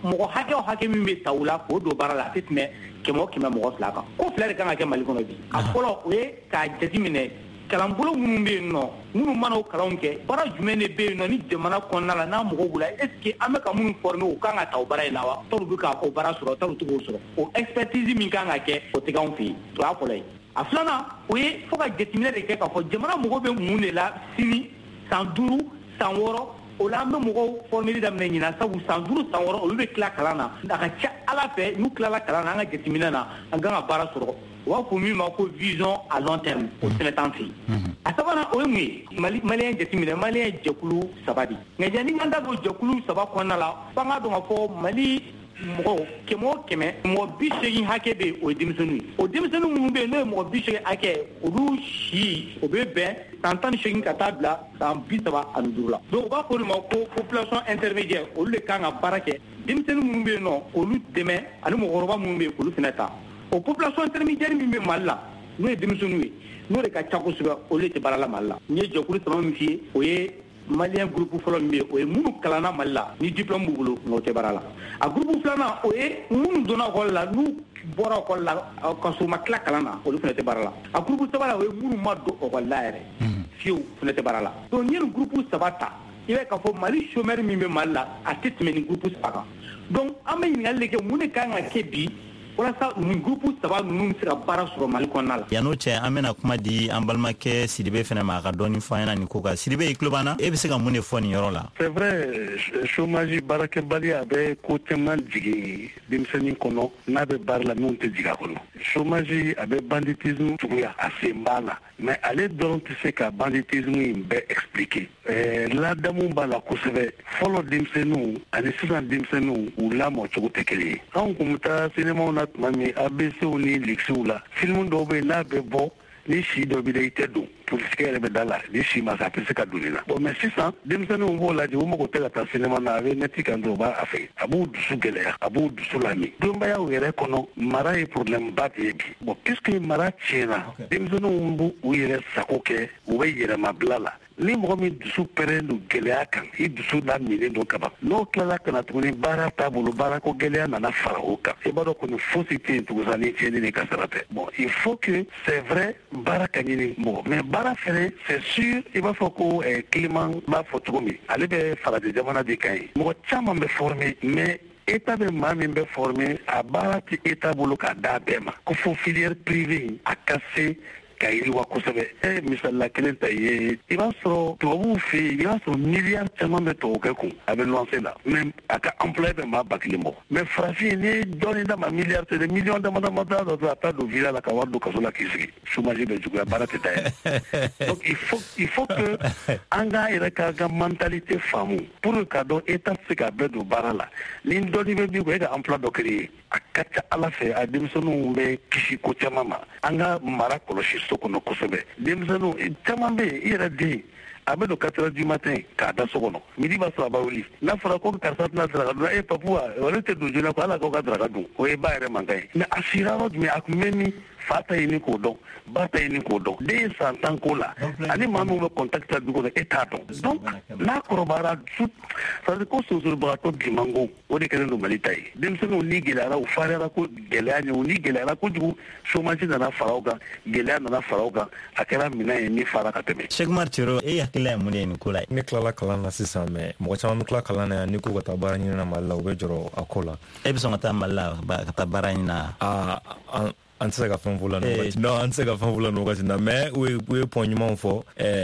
mɔgɔ hakɛ o hakɛ min bɛ ta u la k'o don baara la, a tɛ tɛmɛ 100 o 100 mɔgɔ 2 kan. Ko fila de kan ka kɛ Mali kɔnɔ bi. A fɔlɔ, o ye k'a jateminɛ kalanbolo minnu bɛ yen nɔ, minnu mana o kalanw kɛ, baara jumɛn de bɛ yen nɔ ni jamana kɔnɔna la n'a mɔgɔw b'u la, est ce que an bɛ ka minnu former, u kan ka ta o baara in na wa? Tɔw bɛ ka o baara sɔrɔ, tɔw tɛ k'o sɔrɔ. O expertise min kan ka kɛ, o tɛ k'anw fɛ yen. O y'a fɔlɔ ye. A filanan, o ye fo ka jateminɛ de kɛ k'a fɔ jamana mago bɛ mun de la sini, san 5, san 6. O la an bɛ mɔgɔw formeli daminɛ ɲinan, sabu san 5, san 6, olu bɛ tila kalan na. A ka ca Ala fɛ, n'u tilala kalan na, an ka jateminɛ na, an kan ka baara sɔrɔ. U b'a fɔ min ma ko vision à long terme, o fɛnɛ t'an fɛ yen. A sabanan, o ye mun ye? Mali maliyɛn jateminɛ, maliyɛn jɛkulu 3 de. Nka yanni an da don jɛkulu 3 kɔnɔna la, f'an k'a dɔn k'a fɔ Mali mɔgɔw 100 o 100, mɔgɔ 80 hakɛ bɛ yen, o ye denmisɛnninw ye. O denmisɛnnin minnu bɛ yen, n'o ye mɔgɔ 80 hakɛ, olu si o bɛ bɛn san 18 ka taa bila san 35 la. Donc u b'a fɔ o de ma ko population intermédiaire, olu de kan ka baara kɛ. Denmisɛnnin minnu bɛ yen nɔ, olu dɛmɛ, ani mɔgɔkɔrɔba minnu bɛ yen, olu fana ta. O population intermédiaire min bɛ Mali la, n'o ye denmisɛnninw ye, n'o de ka ca kosɛbɛ, olu de tɛ baara la Mali la. N ye jɛkulu 3 min f'i ye, o ye maliyɛn groupe fɔlɔ min bɛ yen, o ye minnu kalanna Mali la ni diplôme b'u bolo, nka o tɛ baara la. A groupe filanan, o ye minnu donna école la, n'u bɔra école la ka sɔrɔ u ma tila kalan na, olu fana tɛ baara la. A groupe sabanan, o ye minnu ma don école la yɛrɛ fiyewu, fana tɛ baara la. Donc n'i ye nin groupe 3 ta, i b'a ye k'a fɔ Mali chômeur min bɛ Mali la, a tɛ tɛmɛ nin groupe 3 kan. Donc an bɛ ɲininkali de kɛ, mun de kan ka kɛ bi walasa nin groupe 3 ninnu bɛ se ka baara sɔrɔ Mali kɔnɔna la? Yan'o cɛ, an bɛna kuma di an balimakɛ Sidibe fɛnɛ ma, a ka dɔɔni fɔ an ɲɛna nin ko kan. Sidibe, i tulo b'an na, e bɛ se ka mun de fɔ nin yɔrɔ la? C'est vrai, chômage, baarakɛbaliya, a bɛ ko caman jigin denmisɛnnin kɔnɔ n'a bɛ baara la minnu tɛ jigin a kɔnɔ. Chômage, a bɛ banditisme juguya, a sen b'a la, mais ale dɔrɔn tɛ se ka banditisme in bɛɛ expliquer. Ladamu b'a la kosɛbɛ. Fɔlɔ denmisɛnninw ani sisan denmisɛnninw, u lamɔ cogo tɛ kelen ye. Anw kun bɛ taa sinemaw na tuma min, ABCw ni Lixiw la, film dɔw bɛ yen, n'a bɛ bɔ ni si dɔ b'i la, i tɛ don, polisikɛ yɛrɛ bɛ da la, ni si ma se, a tɛ se ka don nin na. Bon, mais sisan denmisɛnninw b'o lajɛ, u mago tɛ ka taa sinema na, a bɛ nɛti kan dɔrɔn, u b'a fɛ. A b'u dusu gɛlɛya, a b'u dusu lami. Denbayaw yɛrɛ kɔnɔ, mara ye problème ba de ye bi. Bon, puisque mara tiɲɛna, denmisɛnninw b'u u yɛrɛ sago kɛ, u bɛ yɛrɛmabila la. Ni mɔgɔ min dusu pɛrɛn don gɛlɛya kan, i dusu laminen don kaban, n'o tilala ka na tuguni, baara t'a bolo, baarako gɛlɛya nana fara o kan, i b'a dɔn kɔni fosi tɛ yen tugun sa ni tiɲɛni ni kasara tɛ. Bon, il faut que, c'est vrai, baara ka ɲini mɔgɔ, mais baara fɛnɛ, c'est sûr, i b'a fɔ ko Clément b'a fɔ cogo min, ale bɛ farajɛ jamana de kan ye, mɔgɔ caman bɛ former, mais État bɛ maa min bɛ former, a baara tɛ État bolo k'a d'a bɛɛ ma, ko fo filière privée a ka se ka yiriwa kosɛbɛ. E misalila kelen ta ye, i b'a sɔrɔ tubabuw fɛ yen, i b'a sɔrɔ miliyari caman bɛ tubabukɛ kun, a bɛ luwanse la, mais a ka employé bɛ maa 1000 bɔ. Mais farafin, n'i ye dɔɔnin d'a ma, miliyari tɛ dɛ, miliyɔn dama dama t'a dɔ, a taa don villa la ka wari don kaso la k'i sigi, chômage bɛ juguya, baara tɛ taa yɛrɛ. Donc il faut que an k'an yɛrɛ k'an ka mentalité faamu pour que k'a dɔn état tɛ se k'a bɛɛ don baara la. Ni dɔɔnin bɛ min kɔ, e ka emploi dɔ créer, a ka ca Ala fɛ a denmisɛnninw bɛ kisi ko caman ma. An ka mara kɔlɔsi so kɔnɔ kosɛbɛ. Denmisɛnninw caman bɛ yen, i yɛrɛ den a bɛ don 4 heures du matin k'a da so kɔnɔ, midi b'a sɔrɔ a b'a wuli. N'a fɔra ko karisa tɛna daraka dun, e papu wa, ale tɛ don joona ko ala k'aw ka daraka dun, o ye ba yɛrɛ mankan ye. Mais a sira yɔrɔ jumɛn, a tun bɛ min? Fa ta ɲini k'o dɔn, ba ta ɲini k'o dɔn. Den ye san 10 ko la, ani maa min bɛ contact la du kɔnɔ, e t'a dɔn. Donc n'a kɔrɔbayara, c'est à dire ko sonsoribagatɔ bimango, o de kɛlen don Mali ta ye. Denmisɛnninw ni gɛlɛyara, u fariyara ko gɛlɛya ɲɛ, u ni gɛlɛyara kojugu, chômage nana fara o kan, gɛlɛya nana fara o kan, a kɛra minɛn ye min fara ka tɛmɛ. Cheikh Umar Cero, e hakilila ye mun de ye nin ko la? Ne tilala kalan na sisan, mais mɔgɔ caman bɛ tila kalan na yan, n'i ko ka taa baara ɲini na Mali la, u bɛ jɔrɔ a ko la. E bɛ sɔn ka taa Mali la ka taa baara ɲini na? An tɛ se ka fɛn fɔ la nin wagati. Non, an tɛ se ka fɛn fɔ la nin wagati na, mais u ye point ɲumanw fɔ.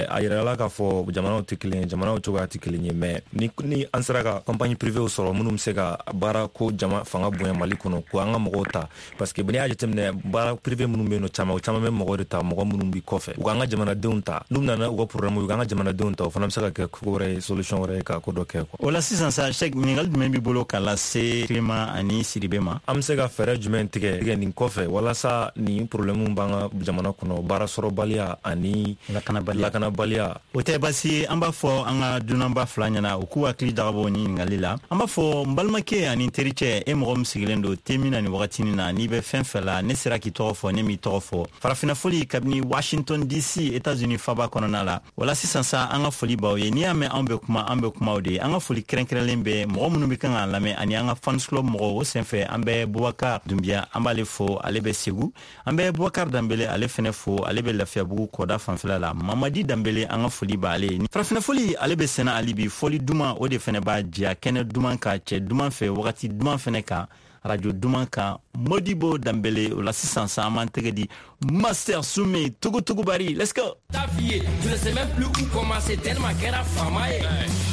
A yirala k'a fɔ jamanaw tɛ kelen ye, jamanaw cogoya tɛ kelen ye, mais ni an sera ka compagnie privée sɔrɔ minnu bɛ se ka baara ko jama fanga bonya Mali kɔnɔ, ko an ka mɔgɔw ta, parce que n'i y'a jateminɛ baara privé minnu bɛ yen nɔ, caman o caman bɛ mɔgɔw de ta, mɔgɔ minnu bɛ kɔfɛ, u k'an ka jamanadenw ta, n'u nana u ka problème, u k'an ka jamanadenw ta, o fana bɛ se ka kɛ ko wɛrɛ ye, solution wɛrɛ ye ka ko dɔ kɛ quoi. O la sisan sa, Cheikh, ɲininkali jumɛn b'i bolo ka lase Clément ani Sidibe ma? An bɛ se ka fɛɛrɛ jumɛn tigɛ nin kɔfɛ walasa nin problème b'an ka jamana kɔnɔ, baara sɔrɔbaliya ani lakanabaliya. O tɛ baasi ye, an b'a fɔ an ka dunanba fila ɲɛna u k'u hakili jagabɔ nin ɲininkali la. An b'a fɔ n balimakɛ ani n tericɛ, e mɔgɔ min sigilen don te min na nin wagatinin na, n'i bɛ fɛn fɛn la, ne sera k'i tɔgɔ fɔ, ne m'i tɔgɔ fɔ. Farafinna foli kabini Washington DC, États-Unis faba kɔnɔna la. Wala sisan sa, an ka foli b'aw ye. N'i y'a mɛn anw bɛ kuma, an bɛ kumaw de ye. An ka foli kɛrɛnkɛrɛnlen bɛ mɔgɔ minnu bɛ kan k'an lamɛn ani an ka fans club mɔgɔw. O senfɛ an bɛ Bubakar Dunbiya, an b'ale fo, ale bɛ Segu. An bɛ Bubakar Danbele, ale fɛnɛ fo, ale bɛ Lafiyabugu kɔda fanfɛla la. Mamadi Danbele, an ka foli b'ale ye. Farafinna foli, ale bɛ sɛnɛ hali bi. Fɔli duman, o de fɛnɛ b'a diya kɛnɛ duman kan, cɛ duman fɛ, wagati duman fɛnɛ kan, radio duman kan. Modibo Danbele, o la sisan sa, an b'an tɛgɛ di Master Soume Togo Bari. Let's go. Ta fille, je ne sais même plus où commencer tellement kɛra faama ye.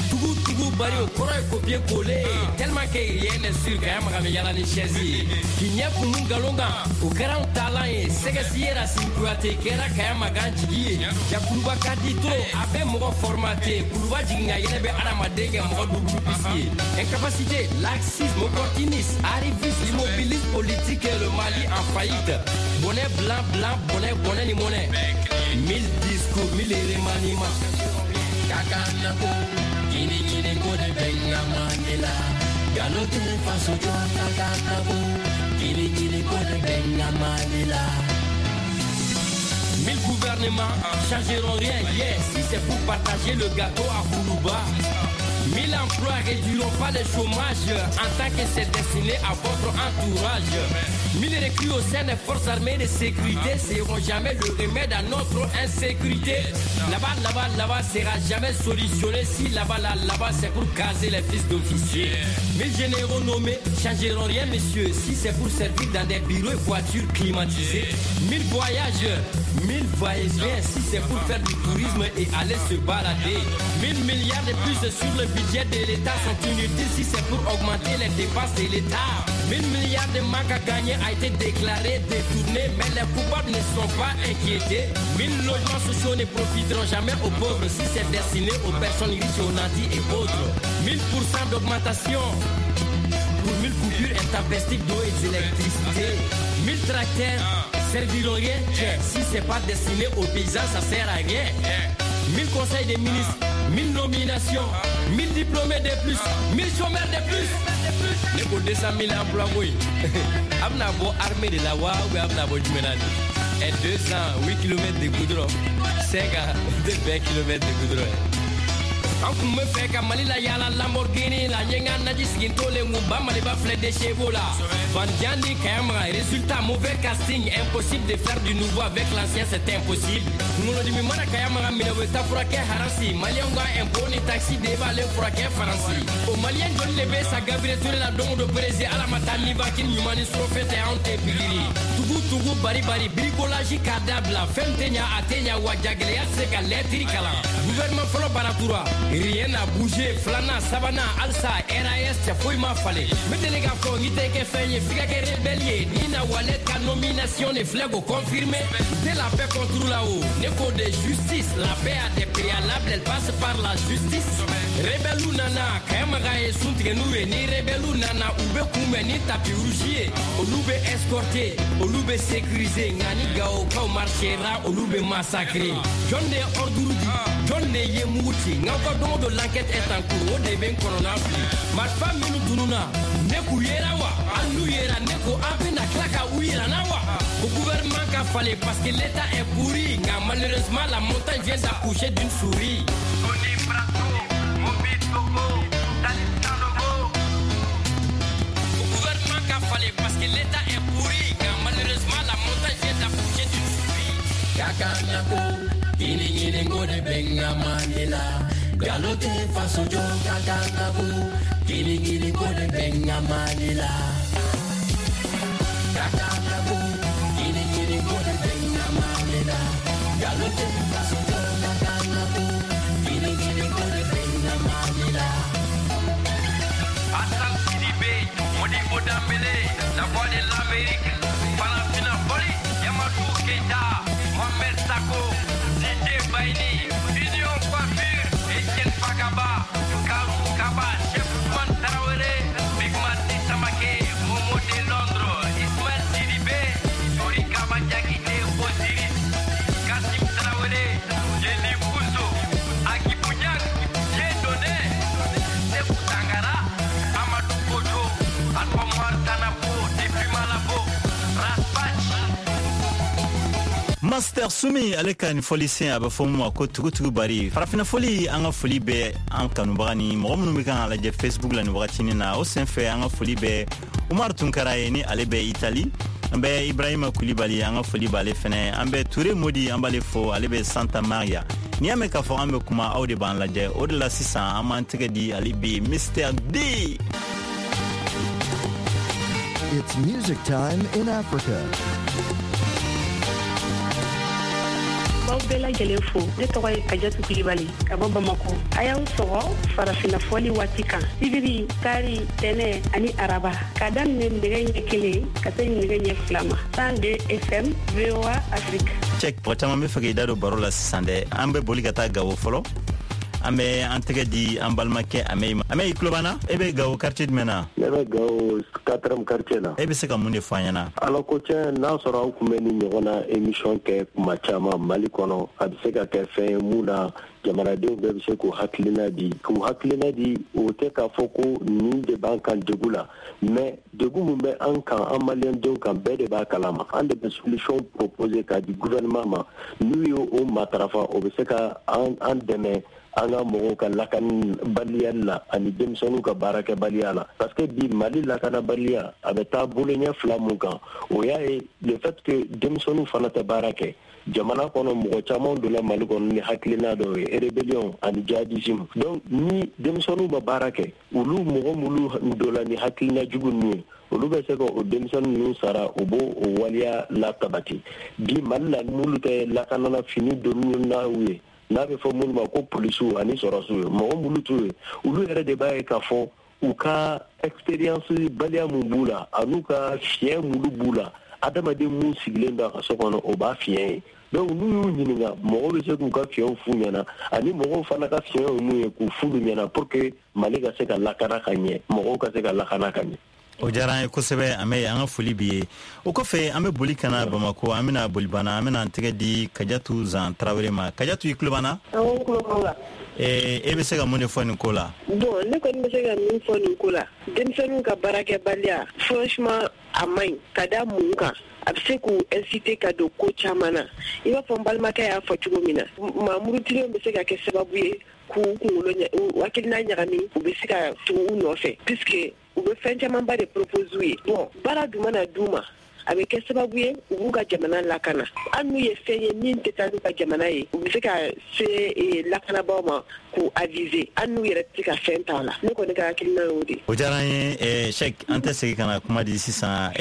Tugu tugu bari o kɔrɔ ye copier coller tellement que rien n'est sûr ka maga bɛ yala ni chaise ye. K'i ɲɛ kumu nkalon kan, o kɛra anw taalan ye. Sɛgɛsi ye Racine Kuyate kɛra Kaya Magan jigi ye. Jakuluba ka di trop, a bɛ mɔgɔ formaté. Kuluba jigin ka yɛlɛ bɛ adamaden kɛ mɔgɔ double pisi ye. Incapacité, laxisme, opportunisme, arrivisme, immobilisme politique et le Mali en faillite. Bonnet blanc, blanc, bonnet, bonnet ni monnaie. 1000 discours, 1000 remaniements. Kakanako, kini kini ko de benga Mandela. Galote faso jɔ kakanako, kini kini ko de benga Mandela. 1000 gouvernements changeront rien, yeah, si c'est pour partager le gâteau à Koulouba. 1000 emplois réduiront pas le chômage en tant que c'est destiné à votre entourage. 1000 recrues au sein des forces armées de sécurité seront jamais le remède à notre insécurité. Là-bas, là-bas, là-bas sera jamais solutionné si là-bas, là, là-bas c'est pour caser les fils d'officiers. 1000 généraux nommés changeront rien, messieurs, si c'est pour servir dans des bureaux et voitures climatisées. 1000 voyages, 1000 va-et-vient si c'est pour faire du tourisme et aller se balader. 1000 milliards de plus sur le budget de l'État sont inutiles si c'est pour augmenter les dépenses de l'État. 1000 milliards de manque à gagner a été déclaré détourné, mais les coupables ne sont pas inquiétés. 1000 logements sociaux ne profiteront jamais aux pauvres si c'est destiné aux personnes riches, aux nantis et autres. 1000% d'augmentation pour 1000 coupures intempestives d'eau et d'électricité. 1000 tracteurs serviront rien si c'est pas destiné aux paysans, ça sert à rien. 1000 conseils des ministres, 1000 nominations, 1000 diplômés de plus, 1000 chômeurs de plus. Ne ko 200 000 emplois oui. Amna bo armée de la wa ou amna bo jumɛn de. Et 208 km de goudron, 5 à 20 km de goudron. An kun bɛ fɛ ka Mali la yala Lamborghini la, n ye n ka naji sigi n tolen kun ba Maliba filɛ déchet la. Van ni Kayama, résultat mauvais casting, impossible de faire du nouveau avec l'ancien, c'est impossible. Kunkolodimi mana Kayama minɛ, u bɛ taa furakɛ Haransi. Maliyɛnw ka impôt ni taxi de b'ale furakɛ Faransi. O maliyɛn joli de bɛ sa Gabriel Touré la don o don Brésil, Ala ma taa Nivaquine ɲuman ni surɔfɛn tɛ, anw tɛ pikiri. Tugu tugu bari bari, bricolage k'a dabila, fɛn tɛ ɲa a tɛ ɲa, wa jagɛlɛya tɛ se ka lɛtiri kalan. Gouvernement fɔlɔ baratura, rien n'a bougé, filanan sabanan halisa RAS cɛ foyi ma falen. N bɛ deli k'a fɔ n'i tɛ kɛ fɛn ye f'i ka kɛ rebelle ye. Ni na Walet ka nomination de filɛ k'o confirmer. Tɛ la paix contre la o, ne ko de justice, la paix a des préalables, elle passe par la justice. Rebelle nana, Kayamaga ye sun tigɛ n'u ye. Ni rebelle nana, u bɛ kunbɛn ni tapis rouge ye. Olu bɛ escorter, olu bɛ sécuriser, nka ni Gawokaw marchera, olu bɛ massacrer. Jɔn de ye ordre di, jɔn de ye mugu ci, n'aw ka don o don l'enquête est en cours, o de bɛ n kɔnɔna fili. Marifa minnu tununna, ne k'u yera wa, hali n'u yera, ne ko an bɛna tila ka u yira n na wa. Ko gouvernement ka falen parce que l'état est pourri, nka malheureusement la montagne vient d'accoucher d'une souris. Au gouvernement ka falen parce que l'état est pourri, nka malheureusement la montagne vient d'accoucher d'une souris. Kakanako, kini ɲininko de bɛ n ka Mali la. Galo tɛ faso jɔ kakanako, kini ɲininko de bɛ n ka Mali la. Kakanako, kini ɲininko de bɛ n ka Mali la. Galo tɛ faso jɔ kakanako, kini ɲininko de bɛ n ka Mali la. Hassan Sidibé, Modibo Dembélé, la voix de l'Amérique, Farafina Foli, Yamadou Keita, Mohamed Sako, DJ Baini, Union Coiffure, Etienne Fagaba, Karou Kaba, Chef Ousmane Traoré, Big Mati Samake, Momo de Londres, Ismaël Sidibé, Tori Kaba Diakité, Osiris, Kassim Traoré, Jenny Bousso, Aki Bouniak, Dieudonné, Sekou Tangara, Amadou Kojo, Alpha Mouar Tanapo, depuis Malabo, Raspach. Master Sumi ale ka nin fɔlisen a bɛ fɔ mun ma ko tugutugu bari. Farafina fɔli, an ka foli bɛ an kanubaga ni mɔgɔ minnu bɛ kan ka lajɛ Facebook la nin wagatinin na. O senfɛ an ka foli bɛ Umar Tunkara ye ni ale bɛ Itali. An bɛ Ibrahima Kulibali, an ka foli b'ale fɛnɛ. An bɛ Ture Modi, an b'ale fo, ale bɛ Santa Maria. N'i y'a mɛn k'a fɔ an bɛ kuma, aw de b'an lajɛ. O de la sisan an b'an tɛgɛ di ale bi Mr D. It's music time in Africa. B'aw bɛɛ lajɛlen fo. Ne tɔgɔ ye Kajatu Kulibali ka bɔ Bamako. A y'aw sɔgɔ farafinna fɔli waati kan, sibiri, kari, tɛnɛ ani araba, k'a daminɛ nɛgɛ ɲɛ 1 ka se nɛgɛ ɲɛ 2 ma, 102 FM VOA Afrique. Cɛk, mɔgɔ caman bɛ fɛ k'i da don baro la sisan dɛ. An bɛ boli ka taa Gawo fɔlɔ. An bɛ an tɛgɛ di an balimakɛ Amɛyi ma. Amɛyi, i tulo b'an na? E bɛ Gawo quartier jumɛn na? Ne bɛ Gawo 4e quartier la. E bɛ se ka mun de fɔ an ɲɛna? Ala ko tiɲɛ, n'a sɔrɔ aw tun bɛ nin ɲɔgɔn na émission kɛ kuma caman Mali kɔnɔ, a bɛ se ka kɛ fɛn ye mun na jamanadenw bɛɛ bɛ se k'u hakilina di. K'u hakilina di, o tɛ k'a fɔ ko nin de b'an kan degun la, mais degun min bɛ an kan, an maliyɛndenw kan, bɛɛ de b'a kalama. An de bɛ solution proposer k'a di gouvernement ma. N'u ye o matarafa, o bɛ se ka an dɛmɛ an ka mɔgɔw ka lakanabaliya la ani denmisɛnninw ka baarakɛbaliya la. Parce que bi Mali lakanabaliya a bɛ taa boloɲɛ fila mun kan, o y'a ye le fait que denmisɛnninw fana tɛ baara kɛ. Jamana kɔnɔ mɔgɔ caman donna Mali kɔnɔ ni hakilina dɔw ye, rébellion ani djihadisme. Donc ni denmisɛnninw ma baara kɛ, olu mɔgɔ minnu donna ni hakilina jugu ninnu ye, olu bɛ se ka o denmisɛnnin ninnu sara, u b'o o waleya latabati. Bi Mali la, minnu tɛ lakanana fini donni n'aw ye, n'a bɛ fɔ minnu ma ko polisiw ani sɔrɔsiw ye, mɔgɔ minnu t'u ye, olu yɛrɛ de b'a ye k'a fɔ u ka expérience baliya mun b'u la an'u ka fiɲɛ minnu b'u la, adamaden mun sigilen bɛ a ka so kɔnɔ, o b'a fiɲɛ ye. Donc n'u y'u ɲininka, mɔgɔw bɛ se k'u ka fiɲɛw f'u ɲɛna, ani mɔgɔw fana ka fiɲɛw ye mun ye k'u f'olu ɲɛna pour que Mali ka se ka lakana ka ɲɛ, mɔgɔw ka se ka lakana ka ɲɛ. O diyara an ye kosɛbɛ, an bɛ an ka foli b'i ye. O kɔfɛ an bɛ boli ka na Bamako, an bɛna bolibana, an bɛna an tɛgɛ di Kajatu Zan Tarawele ma. Kajatu, i tulo b'an na? Awɔ, n tulo b'aw la. E bɛ se ka mun de fɔ nin ko la? Bon, ne kɔni bɛ se ka min fɔ nin ko la, denmisɛnninw ka baarakɛbaliya, franchement a man ɲi. Ka da mun kan? A bɛ se k'u inciter ka don ko caman na. I b'a fɔ n balimakɛ y'a fɔ cogo min na, maa murutilenw bɛ se ka kɛ sababu ye k'u kunkolo u hakilina ɲagami, u bɛ se ka tugu u nɔfɛ, puisque u bɛ fɛn camanba de propose u ye. Bon, baara dun mana d'u ma, a bɛ kɛ sababu ye u b'u ka jamana lakana. Hali n'u ye fɛn ye min tɛ taa n'u ka jamana ye, u bɛ se ka se lakanabaaw ma k'u aviser, hali n'u yɛrɛ tɛ se ka fɛn t'a la. Ne kɔni ka hakilina y'o de ye. O diyara an ye, Cheikh. An tɛ segin ka na kuma di sisan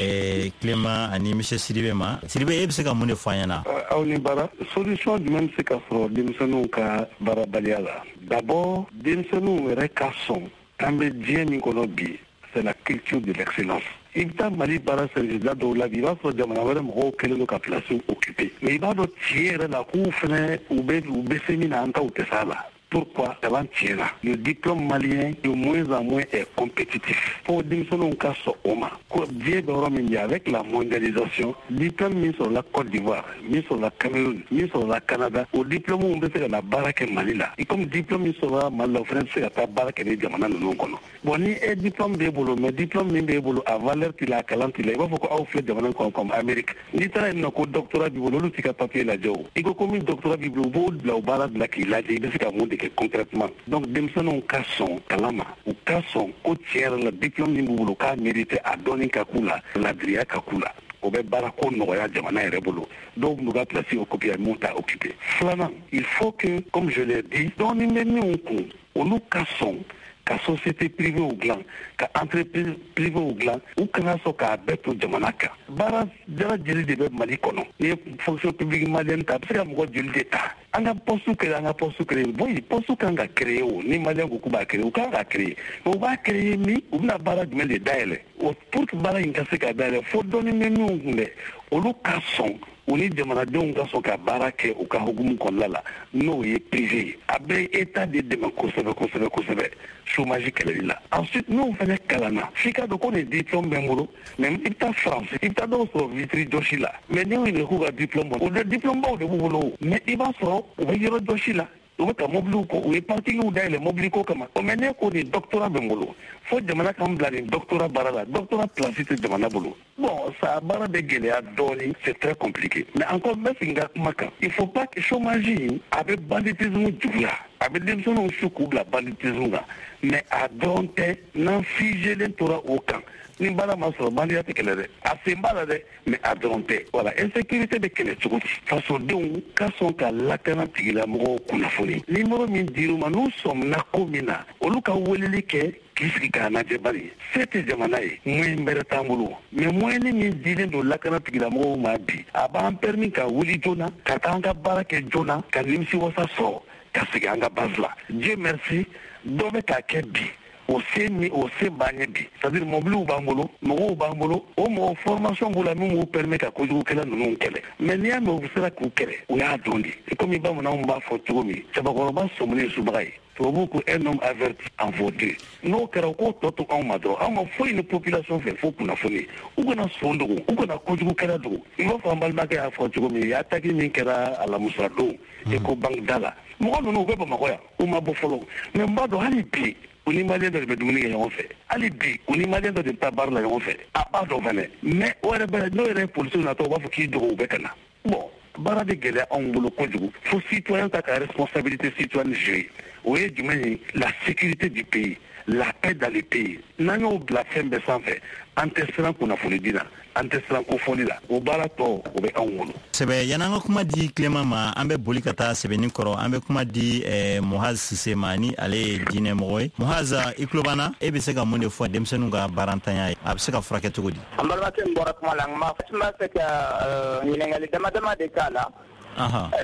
Clément ani monsieur Sidibe ma. Sidibe, e bɛ se ka mun de fɔ an ɲɛna? Aw ni baara. Solution jumɛn bɛ se ka sɔrɔ denmisɛnninw ka baarabaliya la? D'abord, denmisɛnninw yɛrɛ ka sɔn an bɛ diɲɛ min kɔnɔ bi, c'est la culture de l'excellence. I bɛ taa Mali baara service da dɔw la bi, i b'a sɔrɔ jamana wɛrɛ mɔgɔw kɛlen don ka place occuper, mais i b'a dɔn tiɲɛ yɛrɛ la k'u fɛnɛ u bɛ se min na, an taw tɛ s'a la. Pourquoi? Kalan tiɲɛna. Le diplôme malien de moins en moins est compétitif. Fo denmisɛnninw ka sɔn o ma ko diɲɛ bɛ yɔrɔ min bi, avec la mondialisation, diplôme min sɔrɔla Côte d'Ivoire, min sɔrɔla Cameroun, min sɔrɔla Canada, o diplôme bɛ se ka na baara kɛ Mali la, i comme diplôme min sɔrɔla Mali la, o fana bɛ se ka taa baara kɛ ni jamana ninnu kɔnɔ. Bon, ni e diplôme b'e bolo, mais diplôme min b'e bolo, a valeur t'i la, a kalan t'i la, i b'a fɔ ko aw filɛ jamana kɔnɔ comme Amérique, n'i taara yen nɔ ko doctorat b'i bolo, olu t'i ka papier lajɛ. O i ko min doctorat b'i bolo, u b'o bila o baara bila k'i lajɛ i bɛ se ka mun de kɛ concrètement. Donc denmisɛnninw ka sɔn kalan ma, u ka sɔn ko tiɲɛ yɛrɛ la diplôme min b'u bolo k'a mérité, a dɔnni ka k'u la, ladiriya ka k'u la, o bɛ baara ko nɔgɔya jamana yɛrɛ bolo. Dɔw b'u ka place occuper, mun t'a occuper. Filanan, il faut que, comme je l'ai dit, dɔɔni bɛ minnu kun, olu ka sɔn ka société privée dilan, ka entreprise privée dilan. U kana sɔn k'a bɛɛ to jamana kan. Baara jara jeli de bɛ Mali kɔnɔ? N'i ye fonction publique malienne ta, a bɛ se ka mɔgɔ joli de ta? An ka poste créer, an ka poste créer. Bon, poste kan ka créer. O ni malien ko k'u b'a créer, u kan ka créer, mais u b'a créer min, u bɛna baara jumɛn de dayɛlɛ? O pour que baara in ka se ka dayɛlɛ, fo dɔɔni bɛ minnu kun dɛ, olu ka sɔn, u ni jamanadenw ka sɔn ka baara kɛ u ka hukumu kɔnɔna la, n'o ye privé ye. A bɛ état de dɛmɛ kosɛbɛ kosɛbɛ kosɛbɛ chômage kɛlɛli la. Ensuite, n'o fana kalanna, f'i ka dɔn ko nin diplôme bɛ n bolo, mais i bɛ taa France, i bɛ taa dɔw sɔrɔ vitre jɔsi la, mais n'i y'u ɲininka k'u ka diplôme bɔ, o de diplôme baw de b'u bolo, mais i b'a sɔrɔ u bɛ yɔrɔ jɔsi la, u bɛ ka mobiliw ko, u ye parkingw dayɛlɛ mobili ko kama. O mais ne ko nin doctorat bɛ n bolo, fo jamana k'an bila nin doctorat baara la, doctorat place tɛ jamana bolo. Bon, ça baara bɛ gɛlɛya dɔɔni, c'est très compliqué. Mais encore, n bɛ segin ka kuma kan, il faut pas que chômage in a bɛ banditisme juguya, a bɛ denmisɛnninw su k'u bila banditisme kan, mais a dɔrɔn tɛ. N'an figelen tora o kan, ni baara ma sɔrɔ, bandiya tɛ kɛlɛ dɛ, a sen b'a la dɛ, mais a dɔrɔn tɛ. Voilà, insécurité bɛ kɛlɛ cogo di? Fasodenw ka sɔn ka lakana tigilamɔgɔw kunnafoni. Numéro min dir'u ma, n'u sɔmina ko min na, olu ka weleli kɛ k'i sigi k'a lajɛ. Bari se tɛ jamana ye, moyen bɛrɛ t'an bolo, mais moyen min dilen don lakana tigilamɔgɔw ma bi, a b'an permis ka wuli joona, ka taa an ka baara kɛ joona, ka nimisiwasa sɔrɔ, ka segin an ka base la. Dieu merci, dɔ bɛ k'a kɛ bi, o se ni o se b'an ye bi, c'est à dire mobiliw b'an bolo, mɔgɔw b'an bolo, o mɔgɔ formation b'u la min b'u permet ka kojugukɛla ninnu kɛlɛ. Mais n'i y'a mɛn u sera k'u kɛlɛ, u y'a dɔn de. Komi bamananw b'a fɔ cogo min, cɛbakɔrɔba sɔminen subaga ye, tubabuw ko un homme averti en vaut deux. N'o kɛra, u k'o tɔ to anw ma dɔrɔn. Anw ma foyi ni population fɛ fo kunnafoni. U kana son dogo, u kana kojugukɛla dogo. I b'a fɔ an balimakɛ y'a fɔ cogo min, attaque min kɛra alamusa don Ecobank da la, mɔgɔ ninnu u bɛ Bamakɔ yan, u ma bɔ fɔlɔ, mais n b'a dɔn hali bi u ni malien dɔ de bɛ dumuni kɛ ɲɔgɔn fɛ, hali bi u ni malien dɔ de bɛ taa baara la ɲɔgɔn fɛ, a b'a dɔn fɛnɛ. Mais o yɛrɛ bɛ n'o yɛrɛ ye polisiw natɔ, u b'a fɔ k'i dogo, u bɛ ka na. Bon, baara bɛ gɛlɛya anw bolo kojugu. Fo citoyen ta ka responsabilité citoyenne jouer. O ye jumɛn ye? La sécurité du pays, la paix dans le pays. N'an y'o bila fɛn bɛɛ sanfɛ, an tɛ siran kunnafoni di la, an tɛ siran kofɔli la, o baara tɔ o bɛ anw bolo. Sɛbɛ, yan'an ka kuma di Clément ma, an bɛ boli ka taa sɛbɛnni kɔrɔ. An bɛ kuma di Muhaz Sise ma, ni ale ye diinɛ mɔgɔ ye. Muhaz, i tulo b'an na? E bɛ se ka mun de fɔ denmisɛnninw ka baarantanya ye? A bɛ se ka furakɛ cogo di? An balimakɛ min bɔra kuma la, n b'a fɛ ka ɲininkali dama dama de k'a la,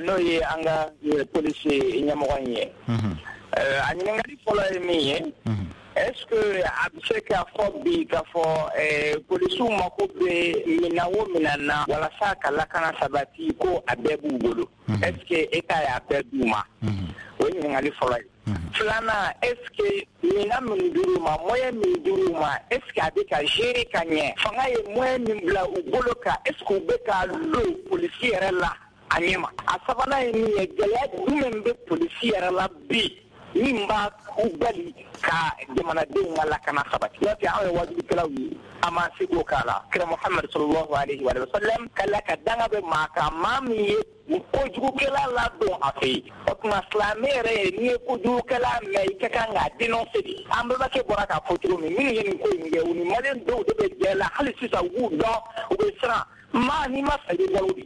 n'o ye an ka polisi ɲɛmɔgɔ in ye. A ɲininkali fɔlɔ ye min ye, est-ce que a bɛ se k'a fɔ bi k'a fɔ polisiw mako bɛ minɛn o minɛn na walasa ka lakana sabati, ko a bɛɛ b'u bolo? Est-ce que État y'a bɛɛ d'u ma? O ye ɲininkali fɔlɔ ye. Filanan, est-ce que minɛn min dir'u ma, moyen min dir'u ma, est-ce que a bɛ ka gérer ka ɲɛ? Fanga ye moyen min bila u bolo kan, est-ce que u bɛ k'a don polisi yɛrɛ la a ɲɛ ma? A sabanan ye min ye, gɛlɛya jumɛn bɛ polisi yɛrɛ la bi? min b'a u bali ka jamanadenw ka lakana sabati. N'o tɛ, anw ye wajulikɛlaw ye, an m'an seko k'a la. Kira Muhamadu sallallahu alaihi wa sallam k'Ala ka danga bɛ maa kan, maa min ye kojugukɛla ladon a fɛ yen. O tuma, silamɛ yɛrɛ ye, n'i ye kojugukɛla mɛn, i ka kan k'a dénoncer de. An bɛnbakɛ bɔra k'a fɔ cogo min, minnu ye nin ko in kɛ, u ni maliyɛn dɔw de bɛ jɛ la hali sisan, u b'u dɔn, u bɛ siran. Maa n'i ma sa, i bɛ balo de.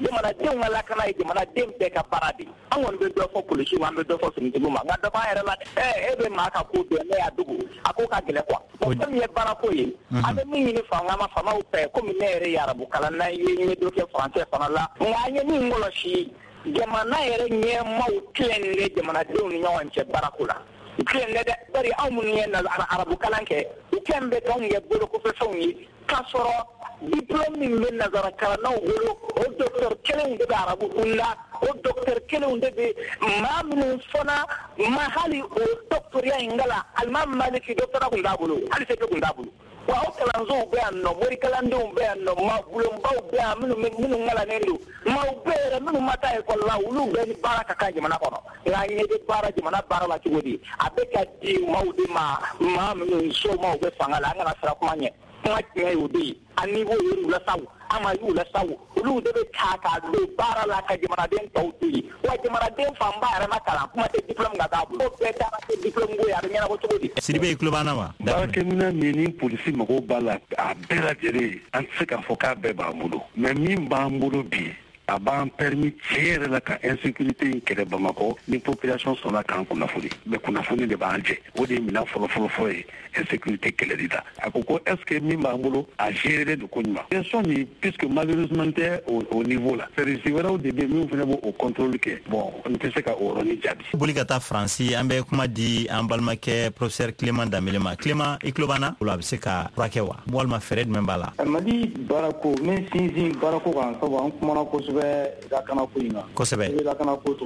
Jamanadenw ka lakana ye jamanaden bɛɛ ka baara de ye. An kɔni bɛ dɔ fɔ polisiw, an bɛ dɔ fɔ finitigiw ma, nka dɔ b'an yɛrɛ la dɛ. E bɛ maa ka ko dɔn, ne y'a dogo, a ko ka gɛlɛn quoi. Bon, fɛn min ye baarako ye, an bɛ min ɲini fanga ma, faamaw fɛ, komi ne yɛrɛ ye arabu kalan ye, n ye dɔ kɛ français fana la, nka an ye min kɔlɔsi, jamana yɛrɛ ɲɛmaaw tilennen tɛ jamanadenw ni ɲɔgɔn cɛ baarako la. U tilennen tɛ dɛ, bari anw minnu ye arabu kalan kɛ, u kɛn bɛ k'anw kɛ bolokɔfɛfɛnw ye, k'a sɔrɔ diplôme min bɛ nazara kalannaw bolo, o docteur kelenw de bɛ arabu kunda, o docteur kelenw de bɛ maa minnu fana ma hali o doctorat in kalan. Alimami Maliki, doctorat kun t'a bolo, hali CP kun t'a bolo. Wa o kalansow bɛ yan nɔ, morikalandenw bɛ yan nɔ, maa bulonbaw bɛ yan, minnu kalannen don, maaw bɛ yɛrɛ minnu ma taa ekɔli la, olu bɛɛ ni baara ka kan jamana kɔnɔ. Nka an ɲɛ bɛ baara jamana baara la cogo di? A bɛ ka di maaw de ma, maa minnu somaw bɛ fanga la. An kana siran kuma ɲɛ, kuma tiɲɛ ye o de ye. An ni b'o ye u la sa o, an ma y'u la sa o, olu de bɛ ta k'a don baara la ka jamanaden tɔw to yen. Wa jamanaden fanba yɛrɛ ma kalan, kuma tɛ diplôme ka k'a bolo. O bɛɛ taara kɛ diplôme ko ye, a bɛ ɲɛnabɔ cogo di? Sidibe, i tulo b'an na wa? Baarakɛminɛn min ni polisi mago b'a la, a bɛɛ lajɛlen, an tɛ se k'a fɔ k'a bɛɛ b'an bolo, mais min b'an bolo bi, a b'an permis tiɲɛ yɛrɛ la ka insécurité in kɛlɛ Bamakɔ, ni population sɔnna k'an kunnafoni. Mais kunnafoni de b'an jɛ, o de ye minɛn fɔlɔ-fɔlɔ ye insécurité kɛlɛli la. A ko ko est ce que min b'an bolo, a géré don koɲuman? Question nin, puisque malheureusement tɛ au niveau la, service wɛrɛw de bɛ min fana b'o contrôle kɛ. Bon, n tɛ se ka o yɔrɔnin jaabi. Boli ka taa Faransi, an bɛ kuma di an balimakɛ professeur Clément Danbele ma. Clément, i tulo b'an na? O la, a bɛ se ka furakɛ wa, walima fɛɛrɛ jumɛn b'a la? Mali baarako, n bɛ sinsin baarako kan, sabu an kumana kosɛbɛ lakanako in kan. I bɛ lakanako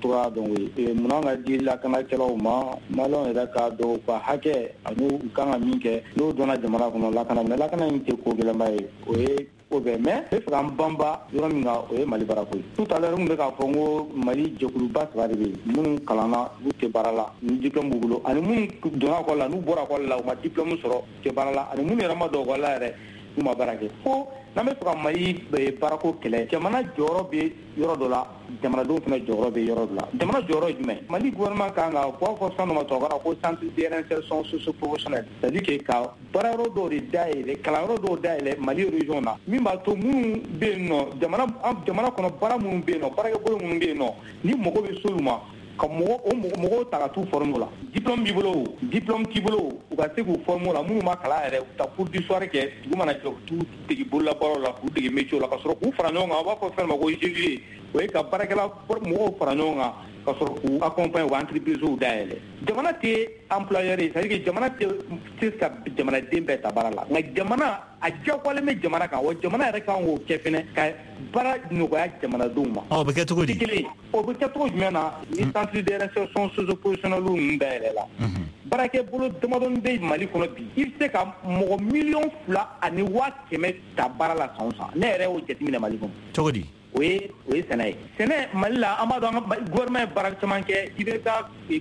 cogoya dɔn o ye munna ka di lakanakɛlaw ma, maliyɛnw yɛrɛ k'a dɔn u ka hakɛ ani u kan ka min kɛ. N'o dɔnna jamana kɔnɔ, lakana, mais lakana in tɛ ko gɛlɛnba ye, o ye ko bɛɛ. Mais n bɛ fɛ ka n banba yɔrɔ min kan, o ye Mali baarako ye. Tout à l'heure, n tun bɛ k'a fɔ n ko Mali jɛkuluba saba de bɛ yen: minnu kalanna, n'u tɛ baara la, ni diplôme b'u bolo, ani minnu donna école la, n'u bɔra école la, u ma diplôme sɔrɔ, u tɛ baara la, ani minnu yɛrɛ ma don école la yɛrɛ, n'u ma baara kɛ. Fo n'an bɛ fɛ ka Mali baarako kɛlɛ, jamana jɔyɔrɔ bɛ yɔrɔ dɔ la, jamanadenw fana jɔyɔrɔ bɛ yɔrɔ dɔ la. Jamana jɔyɔrɔ ye jumɛn? Mali gouvernement kan ka, u b'a fɔ fɛn dɔ ma tubabukan na ko centre de réinsertion socio-professionnelle, c'est à dire que ka baara yɔrɔ dɔw de dayɛlɛ, kalanyɔrɔ dɔw dayɛlɛ Mali région na, min b'a to minnu bɛ yen nɔ, jamana kɔnɔ, baara minnu bɛ yen nɔ, baarakɛbolo minnu bɛ yen nɔ, ni mɔgɔ bɛ s'olu ma, ka mɔgɔ o mɔgɔw ta ka t'u former o la. Diplôme b'i bolo o, diplôme t'i bolo o, u ka se k'u former o la. Minnu ma kalan yɛrɛ, u ta cours du soir kɛ, dugu mana jɛ, u t'u dege bololabaaraw la, k'u dege métier la, ka sɔrɔ k'u fara ɲɔgɔn kan. U b'a fɔ fɛn ma ko GIE, o ye ka baarakɛla mɔgɔw fara ɲɔgɔn kan ka sɔrɔ k'u accompagner, u ka entreprise dayɛlɛ. Jamana tɛ employeur ye, c'est à dire que jamana tɛ se ka jamanaden bɛɛ ta baara la, nka jamana a diyagoyalen bɛ jamana kan wa, jamana yɛrɛ kan k'o kɛ fɛnɛ, ka baara nɔgɔya jamanadenw ma. O bɛ kɛ cogo di? Kelen, o bɛ kɛ cogo jumɛn na? Ni centre de réinsertion socio-professionnelle ninnu dayɛlɛ la, baarakɛ bolo damadɔni bɛ Mali kɔnɔ bi, i bɛ se ka mɔgɔ 2,1 miliyɔn ta baara la san o san. Ne yɛrɛ y'o jateminɛ Mali kɔnɔ. Cogo di? O ye sɛnɛ ye. Sɛnɛ Mali la, an b'a dɔn, an ka gouvernement ye baara caman kɛ IBK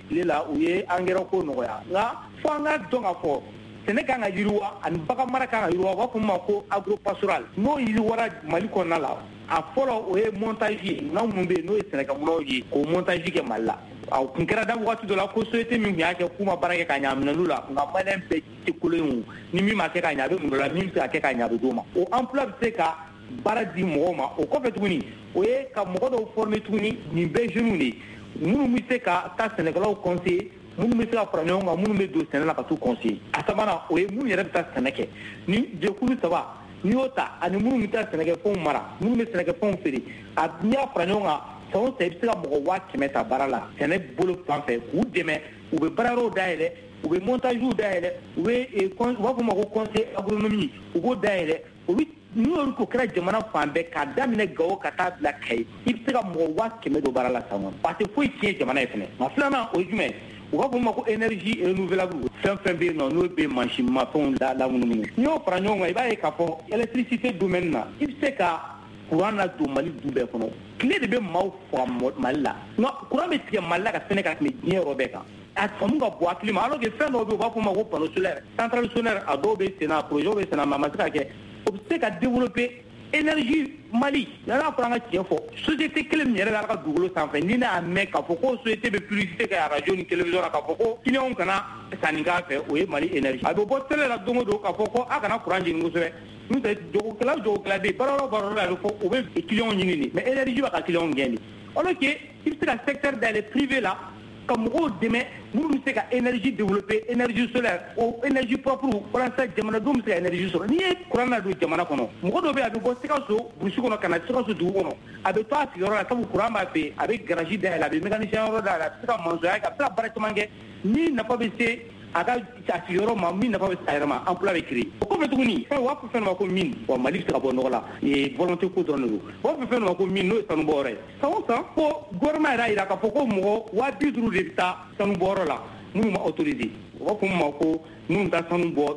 tile la, u ye engrais ko nɔgɔya, nka fo an ka dɔn k'a fɔ sɛnɛ kan ka yiriwa ani bagan mara kan ka yiriwa. U b'a fɔ min ma ko agropastoral. N'o yiriwara Mali kɔnɔna la, a fɔlɔ, o ye montage ye. Minɛn minnu bɛ yen, n'o ye sɛnɛkɛminɛnw ye, k'o montage kɛ Mali la. A kun kɛra da waati dɔ la ko société min tun y'a kɛ, k'u ma baara kɛ ka ɲɛ, a minɛn'u la. Nka maliyɛn bɛɛ tɛ kolon ye o, ni min ma kɛ ka ɲɛ, a bɛ mun la, min bɛ se ka kɛ ka ɲɛ, a bɛ d'o ma. O emploi bɛ se ka baara di mɔgɔw ma. O kɔfɛ tuguni, o ye ka mɔgɔ dɔw former tuguni, nin bɛɛ jeunes de ye, minnu bɛ se ka taa sɛnɛkɛlaw conseiller, minnu bɛ se ka fara ɲɔgɔn kan, minnu bɛ don sɛnɛ la ka t'u conseiller. A sabanan, o ye minnu yɛrɛ bɛ taa sɛnɛ kɛ. Ni jɛkulu saba n'i y'o ta, ani minnu bɛ taa sɛnɛkɛfɛnw mara, minnu bɛ sɛnɛkɛfɛnw feere, a n'i y'a fara ɲɔgɔn kan, san o san, i bɛ se ka mɔgɔ 100 000 ta baara la sɛnɛ bolo fan fɛ, k'u dɛmɛ. U bɛ baara yɔrɔw dayɛlɛ, u bɛ montagew dayɛlɛ, u bɛ u b'a fɔ o ma ko conseil agronomie, u b'o dayɛlɛ. Olu, n'u y'olu ko kɛra jamana fan bɛɛ, k'a daminɛ Gawo ka taa bila Kayi, i bɛ se ka mɔgɔ 100 000 don baara la san kɔnɔ. A tɛ foyi tiɲɛ jamana ye fɛnɛ. Nka filanan, o ye jumɛn ye? U b'a fɔ min ma ko énergie renouvelable, fɛn fɛn bɛ yen nɔ, n'o bɛ mansinmafɛnw la lamunumunu. N'i y'o fara ɲɔgɔn kan, i b'a ye k'a fɔ électricité domaine na, i bɛ se ka courant na don Mali du bɛɛ kɔnɔ. Tile de bɛ maaw faga Mali la. Nka courant bɛ tigɛ Mali la ka sɛnɛ ka tɛmɛ diɲɛ yɔrɔ bɛɛ kan. A faamu ka bon hakili ma, alors que fɛn dɔw bɛ yen, u b'a fɔ o ma ko panneau solaire, centrale solaire, a dɔw bɛ sen na, projet bɛ sen na, mais a ma se ka kɛ. O bɛ se ka développer énergie Mali. N'a fɔra an ka tiɲɛ fɔ, société kelen min yɛrɛ bɛ Ala ka dugukolo sanfɛ, ni ne y'a mɛn k'a fɔ ko société bɛ publicité kɛ radio ni télévision la k'a fɔ ko clients kana sanni k'a fɛ, o ye Mali énergie. A bɛ bɔ télé la don o don k'a fɔ ko a kana courant jeni kosɛbɛ. N'o tɛ jagokɛla o jagokɛla bɛ yen, baara o baara la, a bɛ fɔ u bɛ clients ɲini de, mais énergie b'a ka clients gɛn de. Alors que i bɛ se ka secteur dayɛlɛ privé la ka mɔgɔw dɛmɛ minnu bɛ se ka énergie développer, énergie solaire, o énergie propre, walasa jamanadenw bɛ se ka énergie sɔrɔ. N'i ye courant ladon jamana kɔnɔ, mɔgɔ dɔ bɛ yen, a bɛ bɔ Sikaso burusi kɔnɔ ka na Sikaso dugu kɔnɔ, a bɛ to a sigiyɔrɔ la, sabu courant b'a fɛ yen, a bɛ garage dayɛlɛ, a bɛ mécanicien yɔrɔ dayɛlɛ, a bɛ se ka maçonnya kɛ, a bɛ se ka baara caman kɛ. Ni nafa bɛ se a ka a sigiyɔrɔ ma, min nafa bɛ se a yɛrɛ ma, emploi bɛ créer. O kɔfɛ tuguni, fɛn u b'a fɔ fɛn dɔ ma ko mine, wa Mali bɛ se ka bɔ nɔgɔ la, volonté ko dɔrɔn de don. U b'a fɔ fɛn dɔ ma ko mine, n'o ye sanubɔyɔrɔ ye. San o san, ko gouvernement yɛrɛ y'a jira k'a fɔ ko mɔgɔ 50 000 de bɛ taa sanubɔyɔrɔ la minnu ma autorisé. U b'a fɔ min ma ko minnu taa sanu bɔ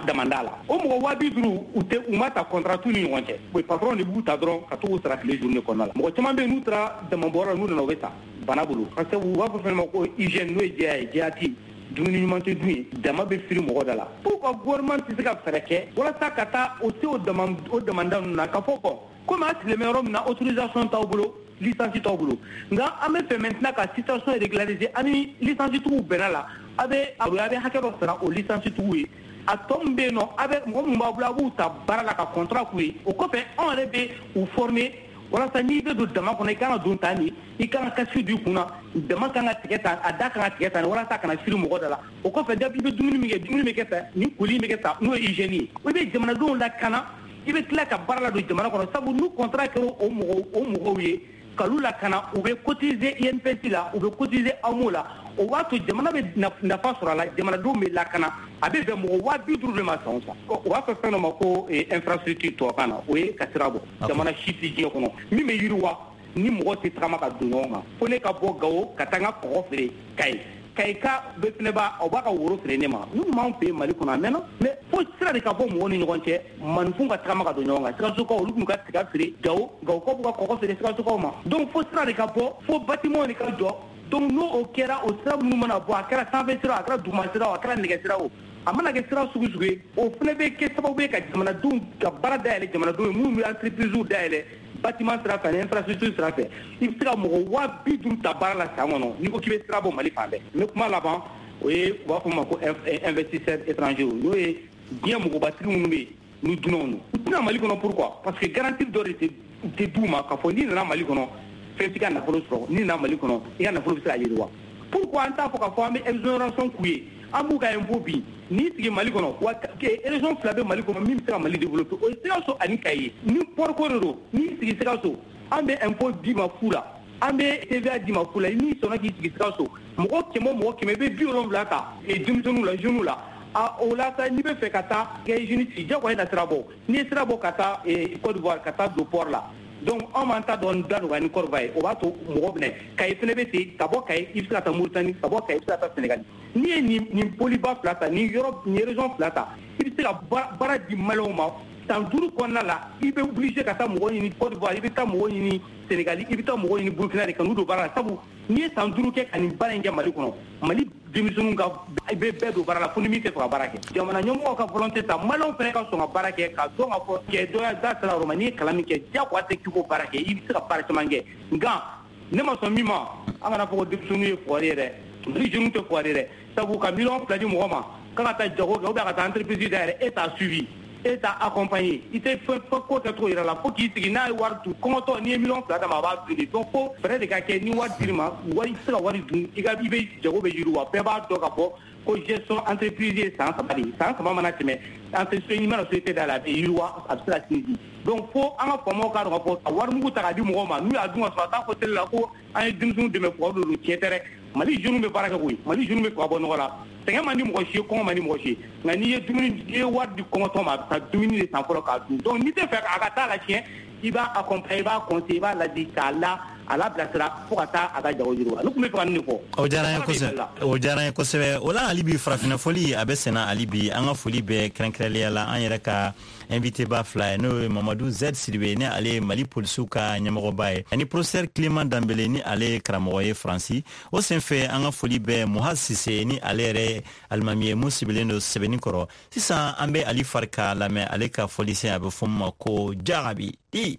damanda la. O mɔgɔ 50 000, u tɛ, u ma ta contrat t'u ni ɲɔgɔn cɛ. O patron de b'u ta dɔrɔn ka t'u sara tile journée kɔnɔna la. Mɔgɔ caman bɛ yen, n'u taara damabɔyɔrɔ la, n'u nana, u bɛ sa bana bolo. Parce que u b'a fɔ fɛn dɔ ma ko hygiène, n'o ye jɛya ye, jɛya tɛ yen. Dumuni ɲuman tɛ dun yen, dama bɛ firi mɔgɔ da la. Pourquoi gouvernement tɛ se ka fɛɛrɛ kɛ walasa ka taa o se o damanda ninnu na, k'a fɔ bon, komi a sigilen bɛ yɔrɔ min na, autorisation t'aw bolo, licence t'aw bolo, nka an bɛ fɛ maintenant ka situation régulariser, an ni licence tigiw bɛnna la, a bɛ hakɛ dɔ sara o licence tigiw ye. A tɔ min bɛ yen nɔ, a bɛ mɔgɔ minnu b'aw bolo, a b'u ta baara la ka contrat k'u ye. O kɔfɛ, anw yɛrɛ bɛ u former walasa n'i bɛ don dama kɔnɔ, i kan ka don tan de, i kan ka casque don i kun na, dama kan ka tigɛ tan, a da kan ka tigɛ tan, walasa a kana firi mɔgɔ da la. O kɔfɛ, i bɛ dumuni min kɛ, dumuni bɛ kɛ tan, nin koli bɛ kɛ tan, n'o ye hygiène ye. I bɛ jamanadenw lakana, i bɛ tila ka baara ladon jamana kɔnɔ, sabu n'u contrat kɛra o mɔgɔw ye k'olu lakana, u bɛ cotiser INPS la, u bɛ cotiser AMO la, o b'a to jamana bɛ nafa sɔrɔ a la, jamanadenw bɛ lakana. A bɛ bɛn mɔgɔ 50 000 de ma san o san. U b'a fɔ fɛn dɔ ma ko infrastructure tubabukan na, o ye ka sira bɔ. Jamana si tɛ diɲɛ kɔnɔ min bɛ yiriwa ni mɔgɔ tɛ tagama ka don ɲɔgɔn kan. Fo ne ka bɔ Gawo ka taa n ka kɔgɔ feere Kayi, Kayi ka bɛ fɛnɛ b'a, o b'a ka woro feere ne ma. Ninnu b'anw fɛ yen Mali kɔnɔ a mɛnna, mais fo sira de ka bɔ mɔgɔw ni ɲɔgɔn cɛ, maninfinw ka tagama ka don ɲɔgɔn kan. Sikasokaw, olu b'u ka tiga feere Gawo, Gawokaw b'u ka kɔgɔ feere Sikasokaw ma. Donc fo sira de ka bɔ, fo bâtiment de ka jɔ. Donc n'o o kɛra, o sira minnu mana bɔ, a kɛra sanfɛ sira o, a kɛra duguma sira o, a kɛra nɛgɛ sira o, a mana kɛ sira sugu sugu ye, o fana bɛ kɛ sababu ye ka jamanadenw ka baara dayɛlɛ, jamanadenw ye minnu bɛ entreprise dayɛlɛ bâtiment sira fɛ ani infrastructure sira fɛ. I bɛ se ka mɔgɔ 50 000 ta baara la san kɔnɔ n'i ko k'i bɛ sira bɔ Mali fan bɛɛ. N bɛ kuma laban, o ye u b'a fɔ o ma ko investisseur étranger, n'o ye diɲɛ mɔgɔbatigi minnu bɛ yen ni dunanw don. U tɛna Mali kɔnɔ, pourquoi? Parce que garantie dɔ de tɛ d'u ma k'a fɔ n'i nana Mali kɔnɔ, fɛn t'i ka nafolo sɔrɔ, n'i nana Mali kɔnɔ, i ka nafolo bɛ se ka yiriwa. Pourquoi an t'a fɔ k'a fɔ an bɛ exonération k'u ye, an b'u ka impôt bin? N'i sigi Mali kɔnɔ, wa région fila bɛ Mali kɔnɔ min bɛ se ka Mali développer, o ye Sikaso ani Kayi. Ni port ko de don, n'i sigi Sikaso, an bɛ impôt d'i ma fu la, an bɛ TVA d'i ma fu la. N'i sɔnna k'i sigi Sikaso, mɔgɔ 100 o mɔgɔ 100, i bɛ 70 ta denmisɛnninw la, jeunes la. A o la sa, n'i bɛ fɛ ka taa kɛ jeune sigi, diyagoya i na sira bɔ. N'i ye sira bɔ ka taa Côte d'Ivoire, ka taa don port la, donc anw b'an ta dɔn da nɔgɔya ni Côte d'Ivoire ye, o b'a to mɔgɔ bɛ na. Kayi fɛnɛ bɛ ten, ka bɔ Kayi i bɛ se ka taa Mauritanie, ka bɔ Kayi i bɛ se ka taa Sénégal. N'i ye nin poliba fila ta, nin yɔrɔ nin région fila ta, i bɛ se ka baara di Maliyɛnw ma san 5 kɔnɔna la. I bɛ obligé ka taa mɔgɔ ɲini Côte d'Ivoire, i bɛ taa mɔgɔ ɲini Sénégal, i bɛ taa mɔgɔ ɲini Burkina de ka n'u don baara la. Sabu n'i ye san 5 kɛ ka nin baara in kɛ Mali kɔnɔ, Mali denmisɛnninw ka i bɛ bɛɛ don baara la, fo ni min tɛ fɛ ka baara kɛ. Jamana ɲɛmɔgɔw ka volonté ta, Maliyɛnw fana ka sɔn ka baara kɛ, ka dɔn k'a fɔ kɛ dɔ ya da sera yɔrɔ ma. N'i ye kalan min kɛ, diyagoya tɛ k'i k'o baara kɛ, i bɛ se ka baara caman kɛ. Nka ne ma sɔn min ma, an kana fɔ ko denmisɛnninw ye fugari ye dɛ. Mali jeunes tɛ fugari ye dɛ, sabu ka miliyɔn 2 di mɔgɔ ma k'a ka taa jago kɛ ou bien ka taa entreprise dayɛlɛ, e t'a suivi, e t'a accompagné, i tɛ fɛn ko kɛcogo yira la, fo k'i sigi n'a ye wari dun kɔngɔtɔ. N'i ye miliyɔn 2 d'a ma, a b'a dun de. Donc fo fɛɛrɛ de ka kɛ, ni wari dir'i ma, wari i tɛ se ka wari dun, i ka i bɛ jago bɛ yiriwa. Bɛɛ b'a dɔn k'a fɔ ko gestion entreprise ye san 3 de ye. San 3 mana tɛmɛ, entreprise i mana société dayɛlɛ, a bɛ yiriwa, a bɛ se ka sinsin. Donc fo an ka faamaw k'a dɔn k'a fɔ ka warimugu ta k'a di mɔgɔw ma, n'u y'a dun ka sɔrɔ a t'a fɔ télé la ko an ye denmisɛnninw dɛmɛ, fugari de don. Tiɲɛ tɛ dɛ, Mali jeunes bɛ baara kɛ koyi, Mali jeunes bɛ fɛ ka bɔ nɔgɔ la. Sɛgɛn man di mɔgɔ si ye, kɔngɔ man di mɔgɔ si ye, nka n'i ye dumuni, n'i ye wari di kɔngɔtɔ ma, a bɛ taa dumuni de san fɔlɔ k'a dun. Donc n'i tɛ fɛ a ka taa la tiɲɛ, i b'a accompagner, i b'a conseiller, i b'a ladi k'a la a labilasira fo ka taa a ka jago yiriwa. Ne tun bɛ fɛ ka nin de fɔ. O diyara n ye kosɛbɛ, o diyara n ye kosɛbɛ. O la hali bi farafinna foli a bɛ senna hali bi. An ka foli bɛ kɛrɛnkɛrɛnnenya la an yɛrɛ ka invité ba fila ye, n'o ye Mamadu Z Sidibe, ni ale ye Mali polisiw ka ɲɛmɔgɔba ye, ani professeur Clément Danbele, ni ale ye karamɔgɔ ye Faransi. O senfɛ an ka foli bɛ Muhaz Sise, ni ale yɛrɛ ye alimami ye mun sigilen don Sɛbɛnni kɔrɔ. Sisan an bɛ Ali Farika lamɛn, ale ka fɔlisen a bɛ fɔ min ma ko Jarabi i.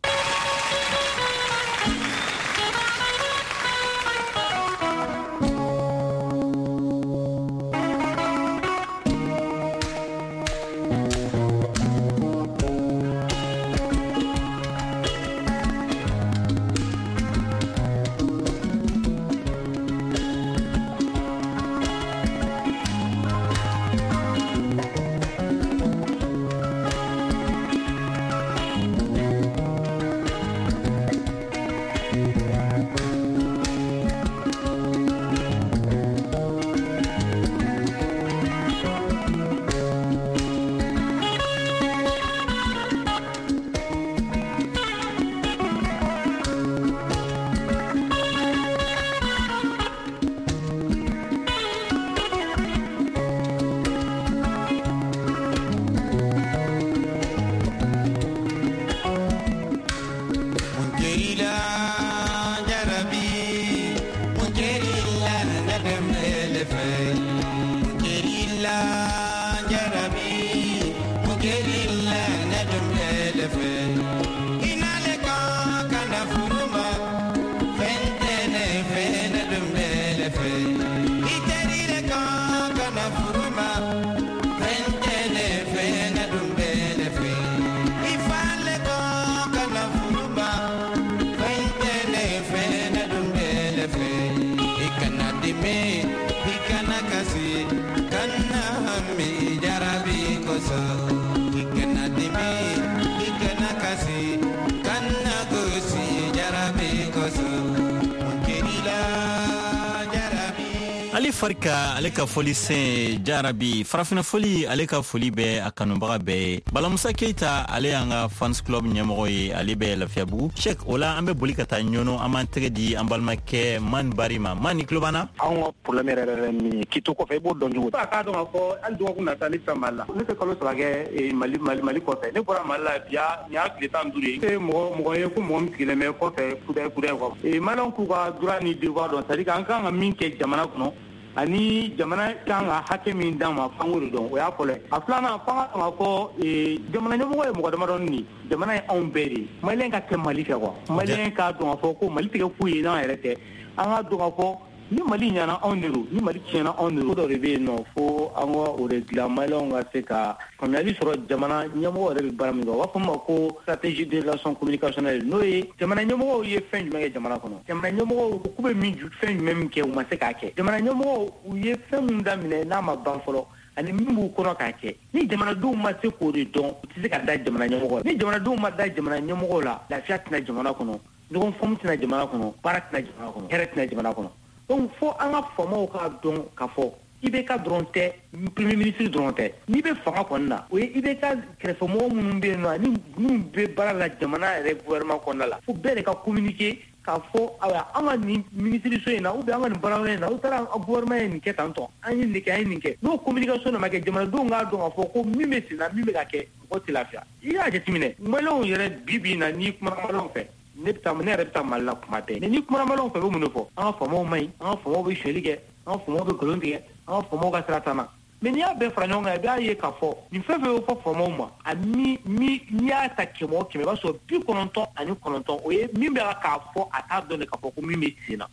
Ali Farika, ale ka foli sen Jarabi, farafinna foli, ale ka foli bɛ a kanubaga bɛɛ ye. Balamusa Keita, ale y'an ka fans club ɲɛmɔgɔ ye, ale bɛ Lafiyabugu. Sek, o la an bɛ boli ka taa Ɲɔnɔ, an b'an tɛgɛ di an balimakɛ Man Bari ma. Man, ni tulo b'an na? Anw ka problème yɛrɛ yɛrɛ min ye k'i to kɔfɛ, i b'o dɔn cogo di? A k'a dɔn k'a fɔ hali dɔgɔkun nata ne tɛ Mali la. Ne tɛ kalo 3 kɛ Mali Mali Mali kɔfɛ. Ne bɔra Mali la bi, nin y'a tile 15 ye. Ne ye mɔgɔ ye ko mɔgɔ min sigilen bɛ kɔfɛ kudɛ kudɛ quoi. Maliyɛnw k'u ka droit ni devoir dɔn, c'est à dire an kan ka min kɛ jamana kɔnɔ ani jamana kan ka hakɛ min d'an ma, f'an k'o de dɔn. O y'a fɔlɔ ye. A filanan, f'an ka dɔn k'a fɔ jamana ɲɛmɔgɔ ye mɔgɔ damadɔni de ye. Jamana ye anw bɛɛ de ye. Maliyɛn ka kɛ Mali fɛ quoi. Maliyɛn k'a dɔn k'a fɔ ko Mali tɛ kɛ foyi ye n'an yɛrɛ tɛ. An k'a dɔn k'a fɔ ni Mali ɲɛna anw de don, ni Mali tiɲɛna anw de don. Ko dɔ de bɛ yen nɔ fo an ka o de dilan, maliyɛnw ka se ka faamuyali sɔrɔ jamana ɲɛmɔgɔ yɛrɛ bɛ baara min kɛ. U b'a fɔ min ma ko stratégie de relation communicationnelle, n'o ye jamana ɲɛmɔgɔw ye fɛn jumɛn kɛ jamana kɔnɔ, jamana ɲɛmɔgɔw k'u bɛ min fɛn jumɛn min kɛ, u ma se k'a kɛ, jamana ɲɛmɔgɔw u ye fɛn min daminɛ n'a ma ban fɔlɔ, ani min b'u kɔnɔ k'a kɛ. Ni jamanadenw ma se k'o de dɔn, u tɛ se ka da jamana ɲɛmɔgɔ la. Ni jamanadenw ma da jamana ɲɛmɔgɔw la, lafiya tɛna jamana kɔnɔ, ɲɔgɔn faamu tɛna jamana kɔnɔ, baara tɛna jamana kɔnɔ, hɛrɛ tɛna jamana kɔnɔ. Donc fo an ka faamaw k'a dɔn k'a fɔ IBK dɔrɔn tɛ, premier ministre dɔrɔn tɛ. N'i bɛ fanga kɔni na, o ye IBK kɛrɛfɛmɔgɔ minnu bɛ yen nɔ ani minnu bɛ baara la jamana yɛrɛ gouvernement kɔnɔna la, fo bɛɛ de ka communiquer k'a fɔ ayiwa an ka nin minisiriso in na ou bien an ka nin baarayɔrɔ in na, u taara gouvernement ye nin kɛ tan tɔ, an ye nin kɛ, an ye nin kɛ. N'o communication de ma kɛ, jamanadenw k'a dɔn k'a fɔ ko min bɛ sen na, min bɛ ka kɛ, mɔgɔ tɛ lafiya. I y'a jateminɛ, maliyɛnw yɛrɛ bi bi in na, n'i kumana maliyɛnw fɛ, ne bɛ taa, ne yɛrɛ bɛ taa Mali la kuma bɛɛ, mais n'i kumana maliyɛnw fɛ, u bɛ mun de fɔ? An ka faamaw man ɲi, an ka faamaw bɛ sonyali kɛ, an ka faamaw bɛ nkalon tigɛ, an ka faamaw ka sira t'an na. Mais n'i y'a bɛɛ fara ɲɔgɔn kan, i b'a ye k'a fɔ nin fɛn fɛn bɛ fɔ faamaw ma, a ni n'i y'a ta 100 o 100, i b'a sɔrɔ 99, o ye min bɛ k'a fɔ a t'a dɔn de k'a fɔ ko min bɛ sen na.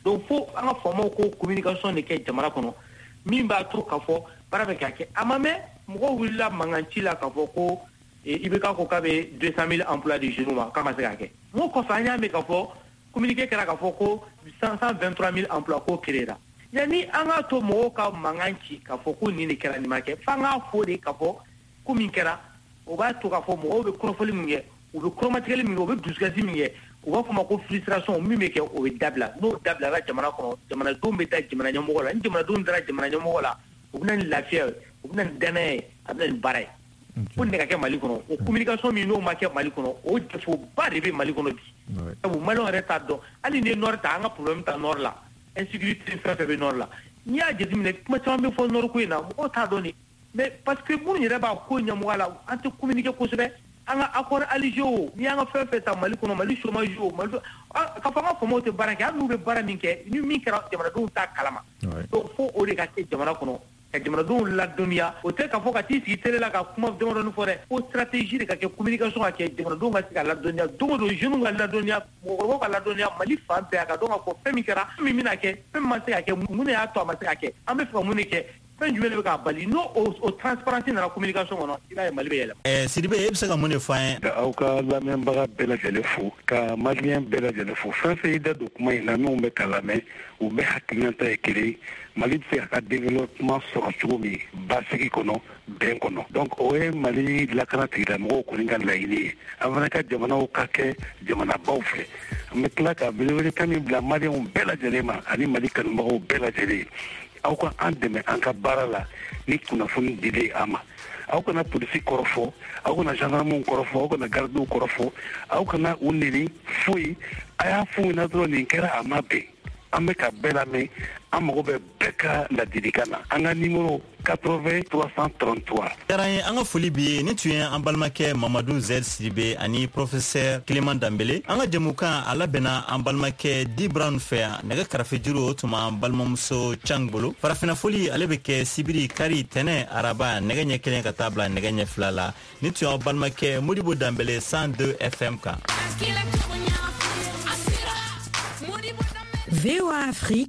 Donc fo an ka faamaw ko communication de kɛ jamana kɔnɔ, min b'a to k'a fɔ baara bɛ ka kɛ. A ma mɛn, mɔgɔw wulila mankan ci la k'a fɔ ko IBK ko k'a bɛ 200 000 emplois di jeunes ma, k'a ma se k'a kɛ. N ko kɔfɛ an y'a mɛn k'a fɔ communiqué kɛra k'a fɔ ko 123 000 emplois ko créé la. Yanni an k'a to mɔgɔw ka mankan ci k'a fɔ ko nin de kɛra, nin ma kɛ, f'an k'a fɔ de k'a fɔ ko min kɛra, o b'a to k'a fɔ mɔgɔw bɛ kɔrɔfɔli min kɛ, u bɛ kɔrɔmatigɛli min kɛ, u bɛ dusukasi min kɛ, u b'a fɔ ma ko frustration, min bɛ kɛ o bɛ dabila. N'o dabilala jamana kɔnɔ, jamanadenw bɛ da jamana ɲɛmɔgɔ la. Ni jamanadenw dara jamana ɲɛmɔgɔ la, u bɛ na ni lafiya ye, u bɛ na ni danaya ye, a bɛ na ni baara ye. Ko nin de ka kɛ Mali kɔnɔ. O communication min n'o ma kɛ Mali kɔnɔ, o défaut ba de bɛ Mali kɔnɔ bi. Sabu maliyɛnw yɛrɛ t'a dɔn, hali ni ye nord ta, an ka problème ta nord la, insécurité fɛn fɛn bɛ nord la, n'i y'a jateminɛ, kuma caman bɛ fɔ nord ko in na, mɔgɔw t'a dɔn de. Mais parce que minnu yɛrɛ b'a ko ɲɛmɔgɔya la, an tɛ communiquer kosɛbɛ. An ka accord Alger o, n'i y'an ka fɛn fɛn ta Mali kɔnɔ, Mali chômage o, Mali k'a fɔ an ka faamaw tɛ baara kɛ, hali n'u bɛ baara min kɛ, ni min kɛra jamanadenw t'a kalama. Donc fo o de ka kɛ jamana kɔnɔ, ka jamanadenw ladɔnniya. O tɛ k'a fɔ ka t'i sigi télé la ka kuma damadɔni fɔ dɛ, fo stratégie de ka kɛ, communication ka kɛ, jamanadenw ka se ka ladɔnniya don o don, jeunes ka ladɔnniya, mɔgɔkɔrɔbaw ka ladɔnniya, Mali fan bɛɛ, a ka dɔn k'a fɔ fɛn min kɛra, fɛn min bɛna kɛ, fɛn min ma se ka kɛ, mun de y'a to a ma se ka kɛ, an bɛ fɛ ka mun de kɛ, fɛn jumɛn de bɛ k'a bali. N'o o transparence nana communication kɔnɔ, i b'a ye Mali bɛ yɛlɛma. Sidibe, e bɛ se ka mun de fɔ an ye? Ka aw ka lamɛnbaga bɛɛ lajɛlen fo, ka maliyɛn bɛɛ lajɛlen fo, fɛn fɛn y'i da don kuma in na, minnu bɛ ka lamɛn, u bɛɛ hakilinata ye kelen, Mali bɛ se k'a ka développement sɔrɔ cogo min basigi kɔnɔ, bɛn kɔnɔ. Donc o ye Mali lakana tigilamɔgɔw kɔni ka laɲini ye. An fana ka jamanaw ka kɛ jamanabaw fɛ. An bɛ tila ka welewelekan min bila maliyɛnw bɛɛ lajɛlen ma ani Mali kanubagaw bɛɛ lajɛlen, aw ka an dɛmɛ an ka baara la ni kunnafoni dilen an ma. Aw kana polisi kɔrɔfɔ, aw kana gendarmew kɔrɔfɔ, aw kana gardiw kɔrɔfɔ, aw kana u neni foyi. A y'a f'u ɲɛna dɔrɔn nin kɛra, a ma bɛn. An bɛ ka bɛɛ lamɛn, an mago bɛ bɛɛ ka ladilikan na. An ka numéro 80 333. Diyara n ye, an ka foli b'i ye. Nin tun ye an balimakɛ Mamadu Z Sidibe ani professeur Clément Danbele. An ka jɛmukan a labɛnna an balimakɛ Di Brown fɛ yan. Nɛgɛ karafejuru o tun b'an balimamuso Cang bolo. Farafinna foli ale bɛ kɛ sibiri, kari, tɛnɛ, araba, nɛgɛ ɲɛ 1 ka taa bila nɛgɛ ɲɛ 2 la. Nin tun y'aw balimakɛ Modibo Danbele 102 FM kan. VOA Afrique.